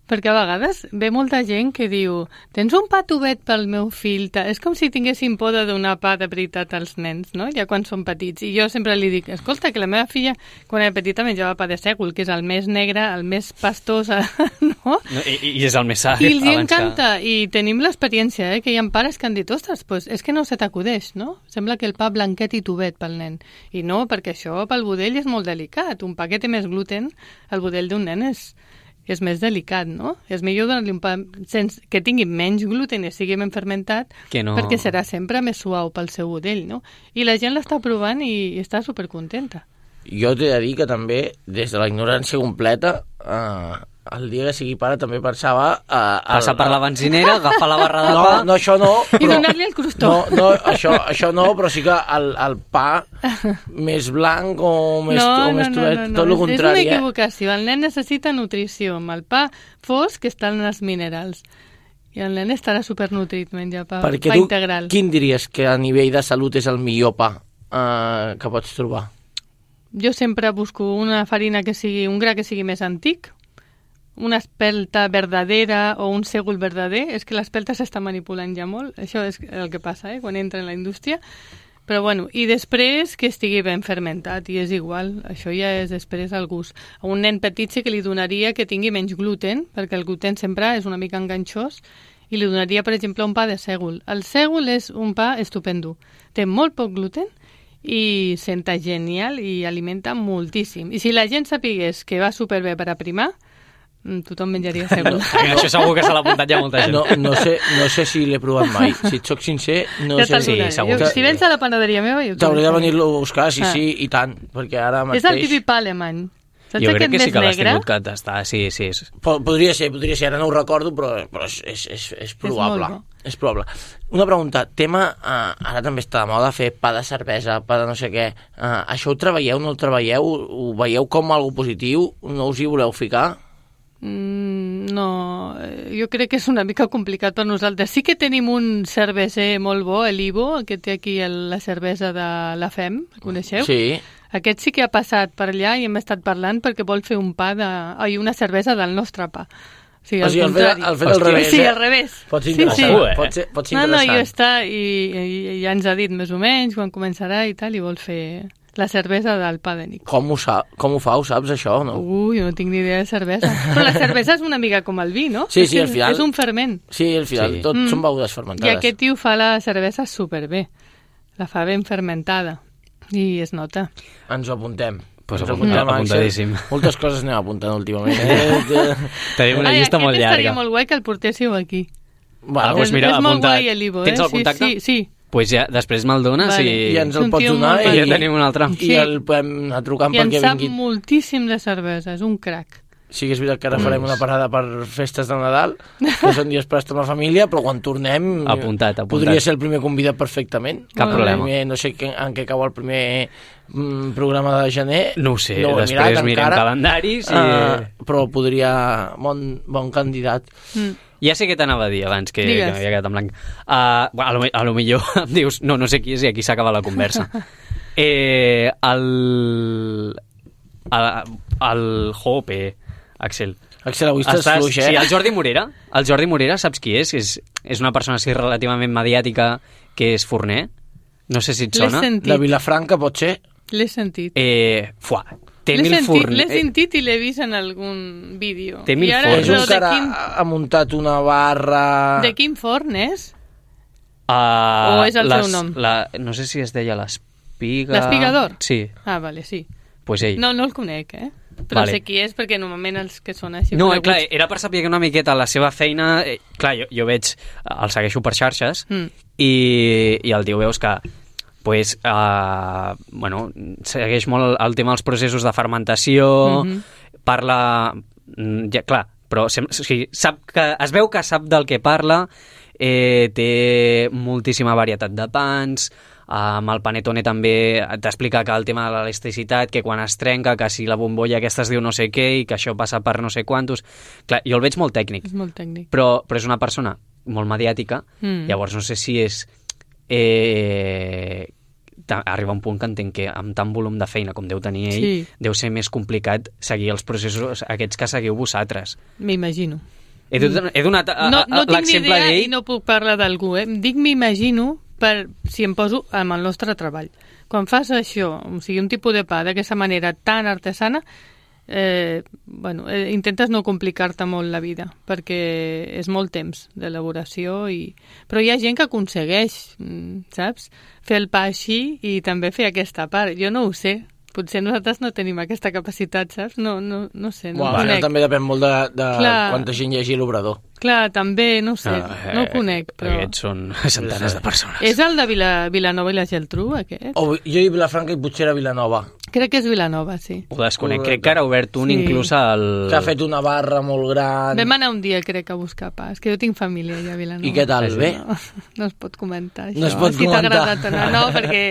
Perquè a vegades ve molta gent que diu tens un pa tubet pel meu fill? És com si tinguessin por de donar pa de veritat als nens, no? Ja quan són petits. I jo sempre li dic, escolta, que la meva filla, quan era petita, menjava pa de sègol, que és el més negre, el més pastós, no? I és el més sa. I els encanta. I tenim l'experiència, que hi ha pares que han dit, ostres, pues és que no se t'acudeix, no? Sembla que el pa blanquet i tubet pel nen. I no, perquè això pel budell és molt delicat. Un pa que té més gluten, el budell d'un nen és més delicat, no? És millor donar-li un pa que tingui menys gluten i sigui ben fermentat, perquè serà sempre més suau pel seu budell, no? I la gent l'està provant i està supercontenta. Jo t'he de dir que també, des de la ignorància completa, el dia que sigui pare també pensava... Passar per la benzinera, agafar la barra de pa... No, això no, però... I donar-li el crostó. No, això no, però sí que el pa més blanc o més tuet, tot el contrari. És una equivocació. El nen necessita nutrició. Amb el pa fosc que estan els minerals. I el nen estarà supernutrit menjar pa integral. Perquè tu, quin diries que a nivell de salut és el millor pa que pots trobar? Jo sempre busco una farina que sigui, un gra que sigui més antic, una espelta verdadera o un sègol verdader. És que l'espelta s'està manipulant ja molt, això és el que passa quan entra en la indústria, però bueno, i després que estigui ben fermentat, i és igual, això ja és després el gust. A un nen petit sí que li donaria que tingui menys gluten, perquè el gluten sempre és una mica enganxós, i li donaria, per exemple, un pa de sègol. El sègol és un pa estupendo, té molt poc gluten i senta genial i alimenta moltíssim. I si la gent sapigués que va superbé per aprimar, tothom menjaria sègol. Això segur que se l'ha apuntat ja molta gent. No sé si l'he provat mai. Si et soc sincer, no sé si... Si vens a la panaderia meva... T'hauré de venir-lo a buscar, sí, i tant, perquè ara mateix... És el típic pa alemany. Jo crec que sí que l'has tingut que tastar, sí. Podria ser, ara no ho recordo, però és probable. És probable. Una pregunta, ara també està de moda fer pa de cervesa, pa de no sé què. Això ho treballeu, no ho treballeu? Ho veieu com algo positiu? No us hi voleu ficar? No, jo crec que és una mica complicat per nosaltres. Sí que tenim un cerveser molt bo, l'Ivo, que té aquí la cervesa de la FEM, coneixeu? Sí. Aquest sí que ha passat per allà i hem estat parlant perquè vol fer una cervesa del nostre pa. O sigui, el fet al revés. Sí, al revés. Pot ser interessant. Pot ser interessant. No, i ja ens ha dit més o menys quan començarà i tal, i vol fer La cervesa del pa de Nico. Com ho fa? Ho saps, això, no? Ui, no tinc ni idea de cervesa. Però la cervesa és una mica com el vi, no? Sí, al final... És un ferment. Sí, al final tot són begudes fermentades. I aquest tio fa la cervesa superbé. La fa ben fermentada. I es nota. Ens ho apuntem. Pues apuntadíssim. Moltes coses anem apuntant últimament. Tenim una llista molt llarga. Estaria molt guai que el portéssiu aquí. Bueno, doncs mira, és molt guai el Ivo, Tens el contacte? Sí. Pues ja, després me'l dones i ens el pots donar i ja tenim un altre. I el podem anar trucant perquè vingui. I en sap moltíssim de cervesa, és un crac. Sí que és veritat que ara farem una parada per festes de Nadal, que són dies per estar amb la família, però quan tornem apuntat. Podria ser el primer convidat perfectament. Cap problema. No sé en què cau el primer programa de gener. No ho sé, després mirem calendaris. Però podria... Bon candidat. Ja sé què t'anava a dir abans, que m'havia quedat en blanc. A lo millor em dius, no sé qui és i aquí s'acaba la conversa. El Hope, Axel, avui estàs fluix, Sí, el Jordi Morera. El Jordi Morera, saps qui és? És una persona així relativament mediàtica que és forner. No sé si et sona. De Vilafranca, pot ser? L'he sentit. L'he sentit i l'he vist en algun vídeo. Té mil forns. És un que ara ha muntat una barra... De quin forn és? O és el seu nom? No sé si es deia l'Espiga... L'Espigador? Sí. Ah, vale, sí. Pues ell. No el conec, Però sé qui és, perquè normalment els que són així... No, clar, era per saber una miqueta la seva feina... Clar, jo veig... El segueixo per xarxes i el tio veus que segueix molt el tema dels processos de fermentació, parla... Ja, clar, però es veu que sap del que parla, té moltíssima varietat de pans, amb el Panettone també t'explica que el tema de l'elasticitat, que quan es trenca, que si la bombolla aquesta es diu no sé què i que això passa per no sé quantos... Clar, jo el veig molt tècnic. És molt tècnic. Però és una persona molt mediàtica, llavors no sé si és... arriba un punt que entenc que amb tant volum de feina com deu tenir ell, deu ser més complicat seguir els processos aquests que seguiu vosaltres. M'imagino. He donat l'exemple d'ell... I no puc parlar d'algú, Dic m'imagino per si em poso amb el nostre treball. Quan fas això, o sigui, un tipus de pa d'aquesta manera tan artesana, intentes no complicar-te molt la vida, perquè és molt temps d'elaboració, però hi ha gent que aconsegueix, saps? Fer el pa així i també fer aquesta part. Jo no ho sé. Potser nosaltres no tenim aquesta capacitat, saps? No sé, no ho conec. També depèn molt de quanta gent hi hagi a l'obrador. Clar, també, no sé, no ho conec. Però... Aquests són centenars de persones. És el de Vilanova i la Geltrú, aquest? Jo i Vilafranca i potser era Vilanova. Crec que és Vilanova, sí. Ho desconec, crec que ara ha obert un inclús al... Que ha fet una barra molt gran. Vam anar un dia, crec, a buscar pa. És que jo tinc família allà a Vilanova. I què tal, bé? No es pot comentar, això. No es pot si comentar. t'ha agradat o no, no, perquè...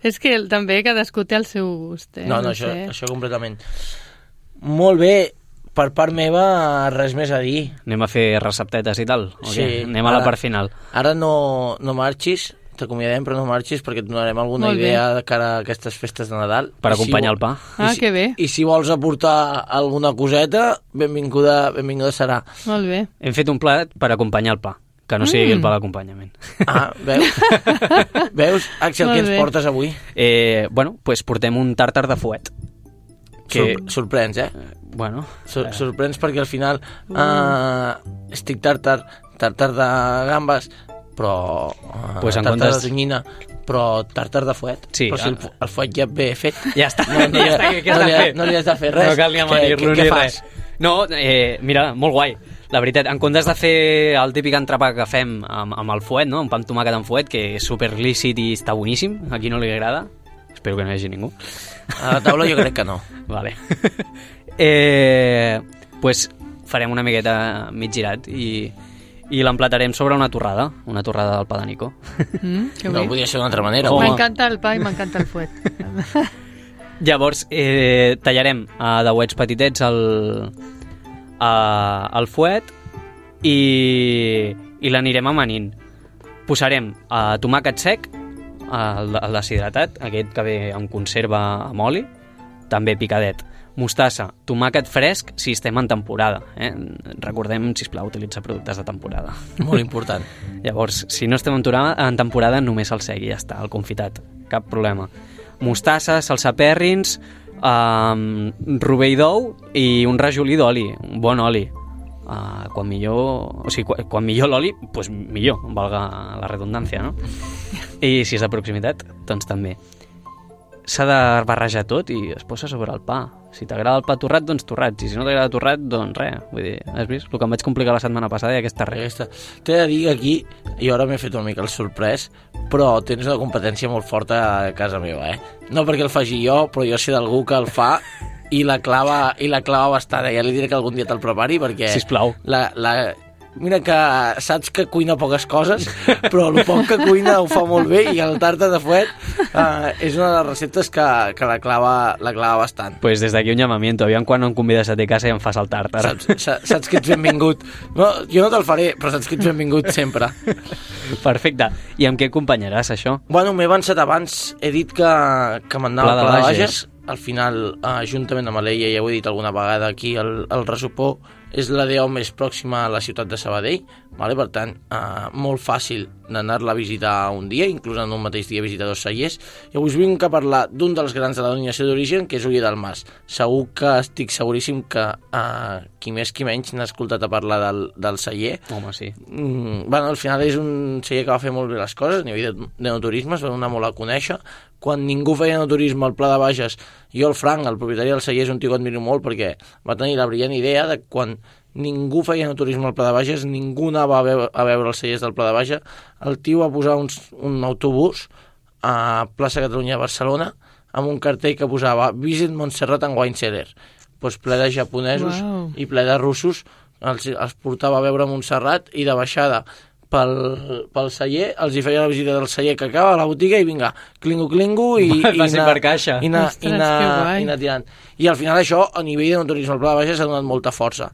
És que també cadascú té el seu gust, No, això completament. Molt bé, per part meva, res més a dir. Anem a fer receptetes i tal? Sí. Anem a la part final. Ara no marxis, t'acomiadem, però no marxis perquè et donarem alguna idea de cara a aquestes festes de Nadal. Per acompanyar el pa. Que bé. I si vols aportar alguna coseta, benvinguda serà. Molt bé. Hem fet un plat per acompanyar el pa, que no sigui el pa d'acompanyament. Veus? Veus, Axel, què ens portes avui? Doncs portem un tàrtar de fuet. Sorprens, Bueno. Sorprens perquè al final estic tàrtar de gambes, però tàrtar de tonyina, però tàrtar de fuet. Sí, però si el fuet ja ve fet... Ja està. No li has de fer res. No cal ni amanir-lo ni res. No, mira, molt guai. La veritat, en comptes de fer el típic entrepà que fem amb el fuet, no? Un pa amb tomàquet amb fuet, que és super lícit i està boníssim, a qui no li agrada, espero que no hi hagi ningú. A la taula jo crec que no. Vale. Pues farem una miqueta mig girat i l'emplatarem sobre una torrada del pa de Nico. No podia ser d'una altra manera. M'encanta el pa i m'encanta el fuet. Llavors, tallarem a dauets petitets el fuet i l'anirem amanint. Posarem tomàquet sec, el deshidratat, aquest que ve en conserva amb oli, també picadet. Mostassa, tomàquet fresc si estem en temporada. Recordem, sisplau, utilitzar productes de temporada. Molt important. Llavors, si no estem en temporada, només el sec i ja està, el confitat. Cap problema. mostassa, salsa pèrrins, rovell d'ou i un rajolí d'oli, un bon oli. Quan millor l'oli, doncs millor, valga la redundància, no? I si és de proximitat, doncs també. S'ha de barrejar tot i es posa sobre el pa. Si t'agrada el pa torrat, doncs torrat. Si no t'agrada torrat, doncs res. Vull dir, has vist? El que em vaig complicar la setmana passada i aquesta res. T'he de dir que aquí, jo ara m'he fet una mica el sorprès, però tens una competència molt forta a casa meva, No perquè el faci jo, però jo sé d'algú que el fa i la clava bastant. Ja li diré que algun dia te'l prepari perquè... Sisplau. Mira que saps que cuina poques coses, però el poc que cuina ho fa molt bé i el tàrtar de fuet és una de les receptes que la clava bastant. Pues des d'aquí un llamamiento, aviam quan em convides a te casa i em fas el tàrtar. Saps que ets benvingut. No, jo no te'l faré, però saps que ets benvingut sempre. Perfecte. I amb què acompanyaràs això? Bueno, m'he avançat abans, he dit que m'anava al Pla de Bages. Al final, juntament amb l'Eia, ja ho he dit alguna vegada aquí, el Resopó és la DO més pròxima a la ciutat de Sabadell, vale? Per tant, molt fàcil d'anar-la a visitar un dia, inclús en un mateix dia visitar dos cellers. I avui us vinc a parlar d'un dels grans de la denominació d'origen, que és Oller del Mas. Segur que estic seguríssim que qui més qui menys n'ha escoltat a parlar del celler. Home, sí. Bueno, al final és un celler que va fer molt bé les coses, a nivell d'enoturisme, es va donar molt a conèixer. Quan ningú feia enoturisme al Pla de Bages, jo, el Frank, el propietari del celler, és un tio que admiro molt perquè va tenir la brillant idea de quan ningú feia enoturisme al Pla de Bages, ningú anava a veure els cellers del Pla de Bages, el tio va posar un autobús a Plaça Catalunya de Barcelona amb un cartell que posava Visit Montserrat and Wine Cellar. Pues ple de japonesos i ple de russos els portava a veure Montserrat i de baixada pel celler, els hi feia la visita del celler que acaba a la botiga i vinga, clingo i anar tirant. I al final això, a nivell de turisme al Pla de Bages, s'ha donat molta força.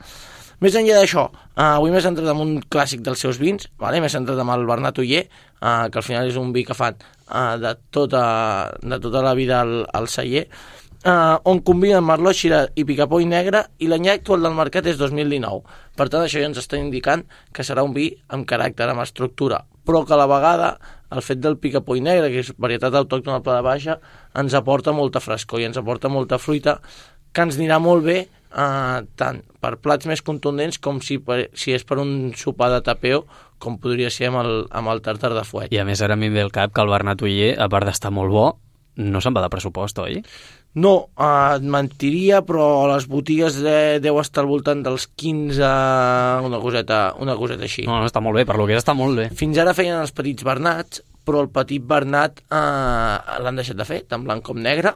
Més enllà d'això, avui m'he centrat en un clàssic dels seus vins, m'he centrat en el Bernat Oller, que al final és un vi que fan de tota la vida al celler, on combinen Merlot, Shiraz i Picapoll negre, i l'any actual del mercat és 2019. Per tant, això ja ens està indicant que serà un vi amb caràcter, amb estructura, però que a la vegada el fet del Picapoll negre, que és varietat autòctona al Pla de Baixa, ens aporta molta frescor i ens aporta molta fruita, que ens anirà molt bé tant per plats més contundents com si és per un sopar de tapeo, com podria ser amb el tàrtar de fuet. I a més ara a mi em ve el cap que el Bernat Oller, a part d'estar molt bo, no se'n va de pressupost, oi? No, et mentiria, però a les botigues deu estar al voltant dels 15, una coseta així. No, està molt bé, per lo que és està molt bé. Fins ara feien els petits Bernats, però el petit Bernat l'han deixat de fer, tant blanc com negre,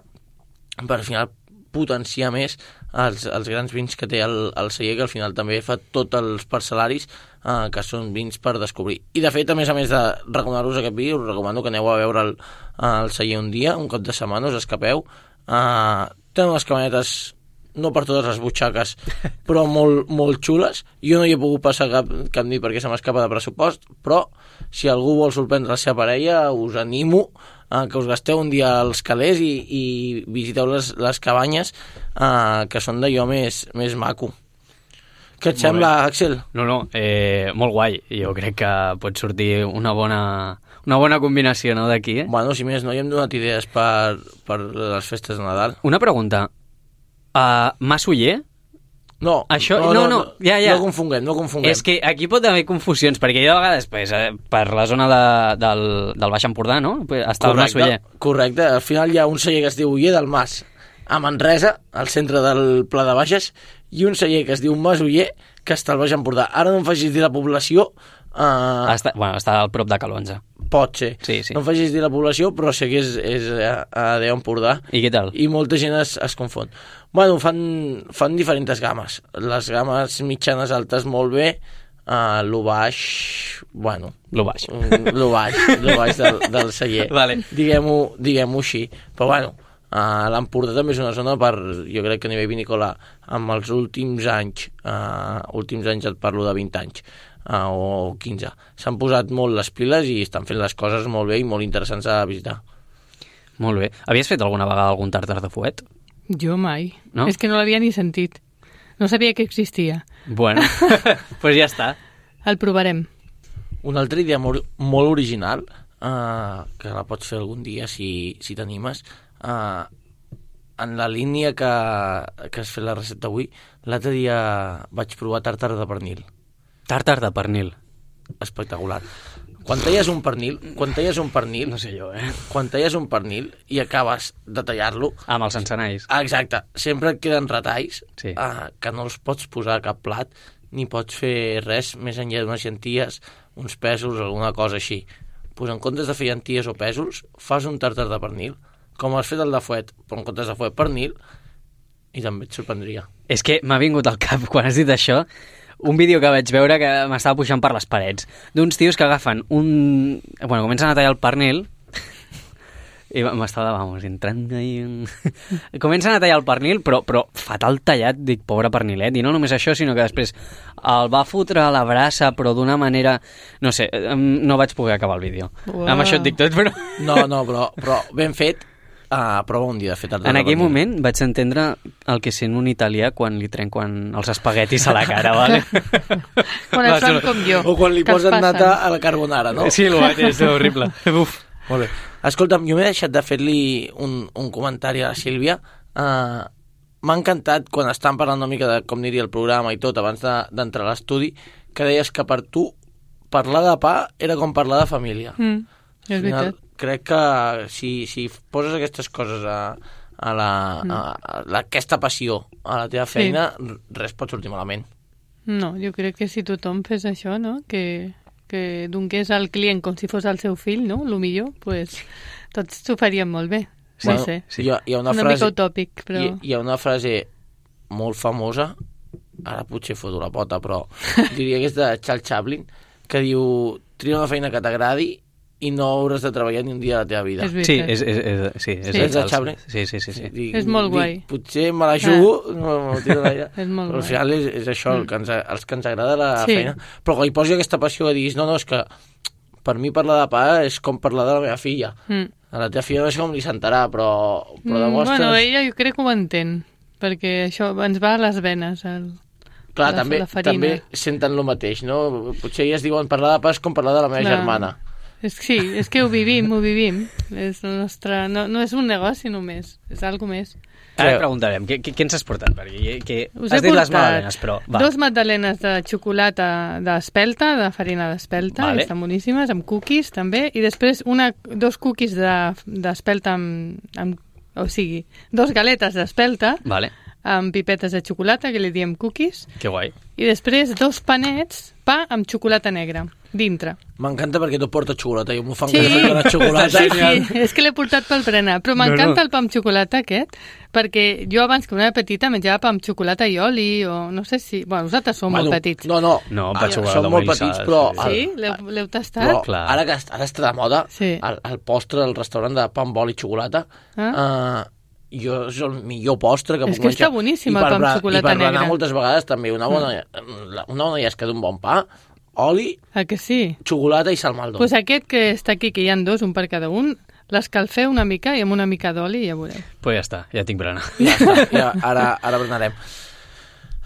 per al final potenciar més els grans vins que té el celler, que al final també fa tots els parcel·laris que són vins per descobrir. I de fet, a més de recomanar-vos aquest vi, us recomano que aneu a veure el celler un dia, un cap de setmana, us escapeu. Tenen unes cabanetes, no per totes les butxaques, però molt, molt xules. Jo no hi he pogut passar cap nit perquè se m'escapa de pressupost, però si algú vol sorprendre la seva parella, us animo que us gasteu un dia als calés i visiteu les cabanyes, que són d'allò més maco. Què et sembla, Axel? No, molt guai. Jo crec que pot sortir una bona combinació, no, d'aquí, Bueno, si més no, hi hem donat idees per les festes de Nadal. Una pregunta. Mas Oller? No, això, no, ja. No confonguem. És que aquí pot haver confusions, perquè jo a vegades per la zona del Baix Empordà, no? Està el Mas Oller. Correcte, al final hi ha un celler que es diu Oller del Mas, a Manresa, al centre del Pla de Bages, i un celler que es diu Mas Oller, que està al Baix Empordà. Ara no em facis dir la població... Està al prop de Calonja. Pot ser. Sí. No em facis dir la població, però sé que és a Déu Empordà. I què tal? I molta gent es confon. Bueno, fan diferents games. Les games mitjanes altes molt bé, lo baix... Bueno... Lo baix del celler. Vale. Diguem-ho així. Però bueno, l'Empordà també és una zona jo crec que a nivell vinícola, amb els últims anys et parlo de 20 anys, o 15, s'han posat molt les piles i estan fent les coses molt bé i molt interessants a visitar. Molt bé. Havies fet alguna vegada algun tàrtar de fuet? Jo mai. No? És que no l'havia ni sentit. No sabia que existia. Bueno, pues ja està. El provarem. Una altra idea molt original, que la pots fer algun dia si t'animes, en la línia que has fet la recepta avui, l'altre dia vaig provar tàrtar de pernil. Tàrtar de pernil. Espectacular. Quan talles un pernil... No sé jo, Quan talles un pernil i acabes de tallar-lo... Amb els encenalls. Exacte. Sempre et queden retalls sí. Que no els pots posar a cap plat, ni pots fer res més enllà d'unes llenties, uns pèsols, alguna cosa així. Pues en comptes de fer llenties o pèsols, fas un tàrtar de pernil, com has fet el de fuet, però en comptes de fuet pernil, i també et sorprendria. És que m'ha vingut al cap, quan has dit això, un vídeo que vaig veure que m'estava pujant per les parets, d'uns tios que agafen comencen a tallar el pernil, i m'estava, entrant ahí... Comencen a tallar el pernil, però fatal tallat, dic, pobre pernilet, i no només això, sinó que després el va fotre a la brasa, però d'una manera... No sé, no vaig poder acabar el vídeo. Wow. Amb això et dic tot, però... No, però ben fet, prova un dia de fer tàrtar de pernil. En aquell moment vaig entendre el que sent un italià quan li trenquen els espaguetis a la cara, vale? Quan et fan com jo. O quan li posen nata a la carbonara, no? Sí, el mateix, és horrible. Uf. Molt bé. Escolta'm, jo m'he deixat de fer-li un comentari a la Sílvia. M'ha encantat quan estàvem parlant una mica de com aniria el programa i tot abans d'entrar a l'estudi, que deies que per tu parlar de pa era com parlar de família. És veritat. Crec que si poses aquestes coses aquesta passió a la teva feina, res pot sortir malament. No, jo crec que si tothom fes això, no?, que donés al client com si fos el seu fill, no?, el millor, pues, tots s'ho faríem molt bé. Sí, bueno, sí. Hi ha una frase, mica utòpic, però... Hi ha una frase molt famosa, ara potser foto la pota, però diria que és de Charles Chaplin, que diu: tria una feina que t'agradi i no hauràs de treballar ni un dia de la teva vida. Sí, és de Chaplin. Sí. És molt guai. Potser me la jugo, no tiro l'aire, és molt però al final és això, els que ens agrada la feina. Però quan hi posi aquesta passió que diguis, no, és que per mi parlar de pa és com parlar de la meva filla. A la teva filla no sé com li sentarà, però demostres... Bueno, ella jo crec que ho entén, perquè això ens va a les venes, clar, també senten el mateix, no? Potser elles diuen parlar de pa és com parlar de la meva germana. Sí, és que ho vivim. És el nostre... No és un negoci només, és algo més. Ara preguntarem, què ens has portat? Perquè has dit les magdalenes, però... Va. 2 magdalenes de xocolata d'espelta, de farina d'espelta, vale. Estan boníssimes, amb cookies també, i després 2 cookies d'espelta o sigui, 2 galetes d'espelta, vale, amb pipetes de xocolata, que li diem cookies. Que guai. I després 2 panets, pa amb xocolata negra, dintre. M'encanta perquè tu portes xocolata, jo m'ho fan que de la xocolata. Sí, és que l'he portat pel berenar, però m'encanta el pa amb xocolata aquest, perquè jo abans que una petita menjava pa amb xocolata i oli, o no sé si... Bueno, vosaltres sou molt petits. No, som molt petits, però... Sí? L'heu tastat? Però ara està de moda, el postre del restaurant de pa amb oli i xocolata, jo és el millor postre que puc menjar. És que està boníssim el pa amb xocolata negra. I per berenar moltes vegades també una bona llesca d'un bon pa, oli, que sí? Xocolata i salmaldó. Pues aquest que està aquí, que hi ha 2, un per cada un, l'escalfeu una mica i amb una mica d'oli i ja veureu. Pues ja està, ja tinc berenar. Ja està, ara berenarem.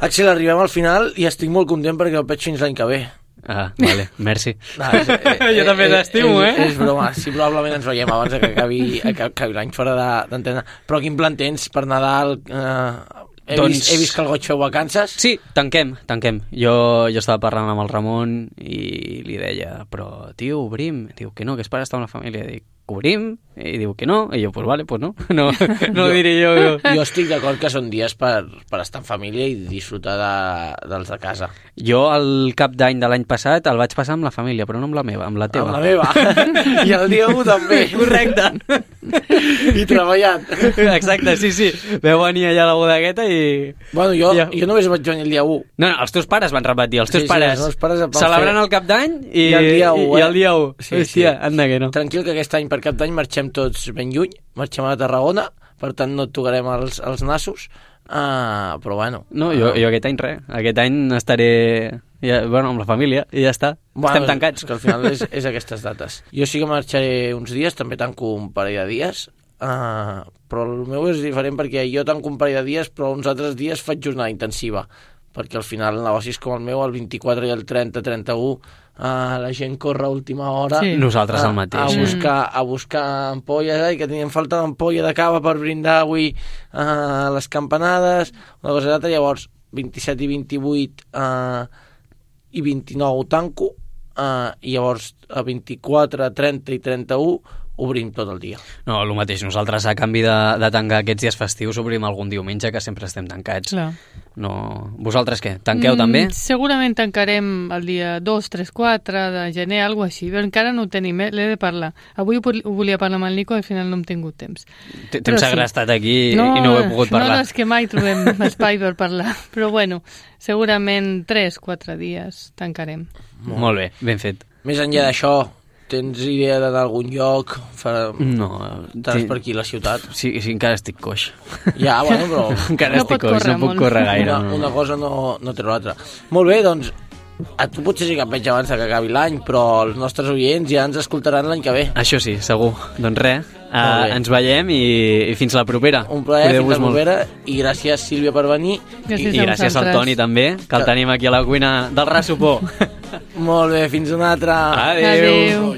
Axel, arribem al final i estic molt content perquè el veig fins l'any que ve. Vale, merci. Jo també t'estimo, És broma, sí, probablement ens veiem abans que acabi l'any fora d'antena. Però quin plan tens per Nadal? He vist que el goig feu vacances? Sí, tanquem. Jo estava parlant amb el Ramon i li deia, però tio, obrim. Diu que no, que és per estar amb la família. Dic, obrim? I diu que no. I jo, pues vale, pues no. No diré jo. Jo estic d'acord que són dies per estar en família i disfrutar dels de casa. Jo el cap d'any de l'any passat el vaig passar amb la família, però no amb la meva, amb la teva. Amb la meva. I el dia 1 també. Correcte. I treballant. Exacte, sí. Veu venir allà a la bodegueta i... Bueno, jo només vaig venir el dia 1. No, els teus pares van repetir, els teus pares els pares celebrant el cap d'any i el dia 1. I el dia 1. Hòstia, anda que no. Tranquil, que aquest any per cap d'any marxem tots ben lluny, marxem a Tarragona, per tant no et tocarem els nassos, però bueno. No, jo aquest any res, aquest any estaré amb la família i ja està, estem tancats. És que al final és aquestes dates. Jo sí que marxaré uns dies, també tanco un parell de dies, però el meu és diferent perquè jo tanco un parell de dies, però uns altres dies faig jornada intensiva, perquè al final el negoci és com el meu, el 24 i el 30-31, la gent corre a última hora. Sí. Nosaltres el mateix. A buscar ampolles, que tenien falta d'ampolla de cava per brindar avui les campanades, una cosa d'altra. Llavors 27 i 28 i 29 tanco, i llavors a 24, 30 i 31 obrim tot el dia. No, el mateix. Nosaltres, a canvi de tancar aquests dies festius, obrim algun diumenge, que sempre estem tancats. Clar. No... Vosaltres què? Tanqueu també? Segurament tancarem el dia 2, 3, 4 de gener, alguna cosa així, però encara no ho tenim, l'he de parlar. Avui ho volia parlar amb el Nico i al final no hem tingut temps. T'hem segrestat aquí i no ho he pogut parlar. No, és que mai trobem espai per parlar. Però bueno, segurament 3, 4 dies tancarem. Molt bé, ben fet. Més enllà d'això, tens idea d'anar a algun lloc? No. Estàs per aquí a la ciutat? Sí, encara estic coix. Ja, bueno, però... encara estic coix, no puc córrer gaire. Una cosa no té l'altra. Molt bé, doncs, a tu potser sí que et veig abans que acabi l'any, però els nostres oients ja ens escoltaran l'any que ve. Això sí, segur. Doncs res, ens veiem i fins la propera. Un plaer, fins la propera, i gràcies, Sílvia, per venir. Gràcies I gràcies al Toni, també, que el tenim aquí a la cuina del Rassopó. Molt bé, fins una altra. Adéu.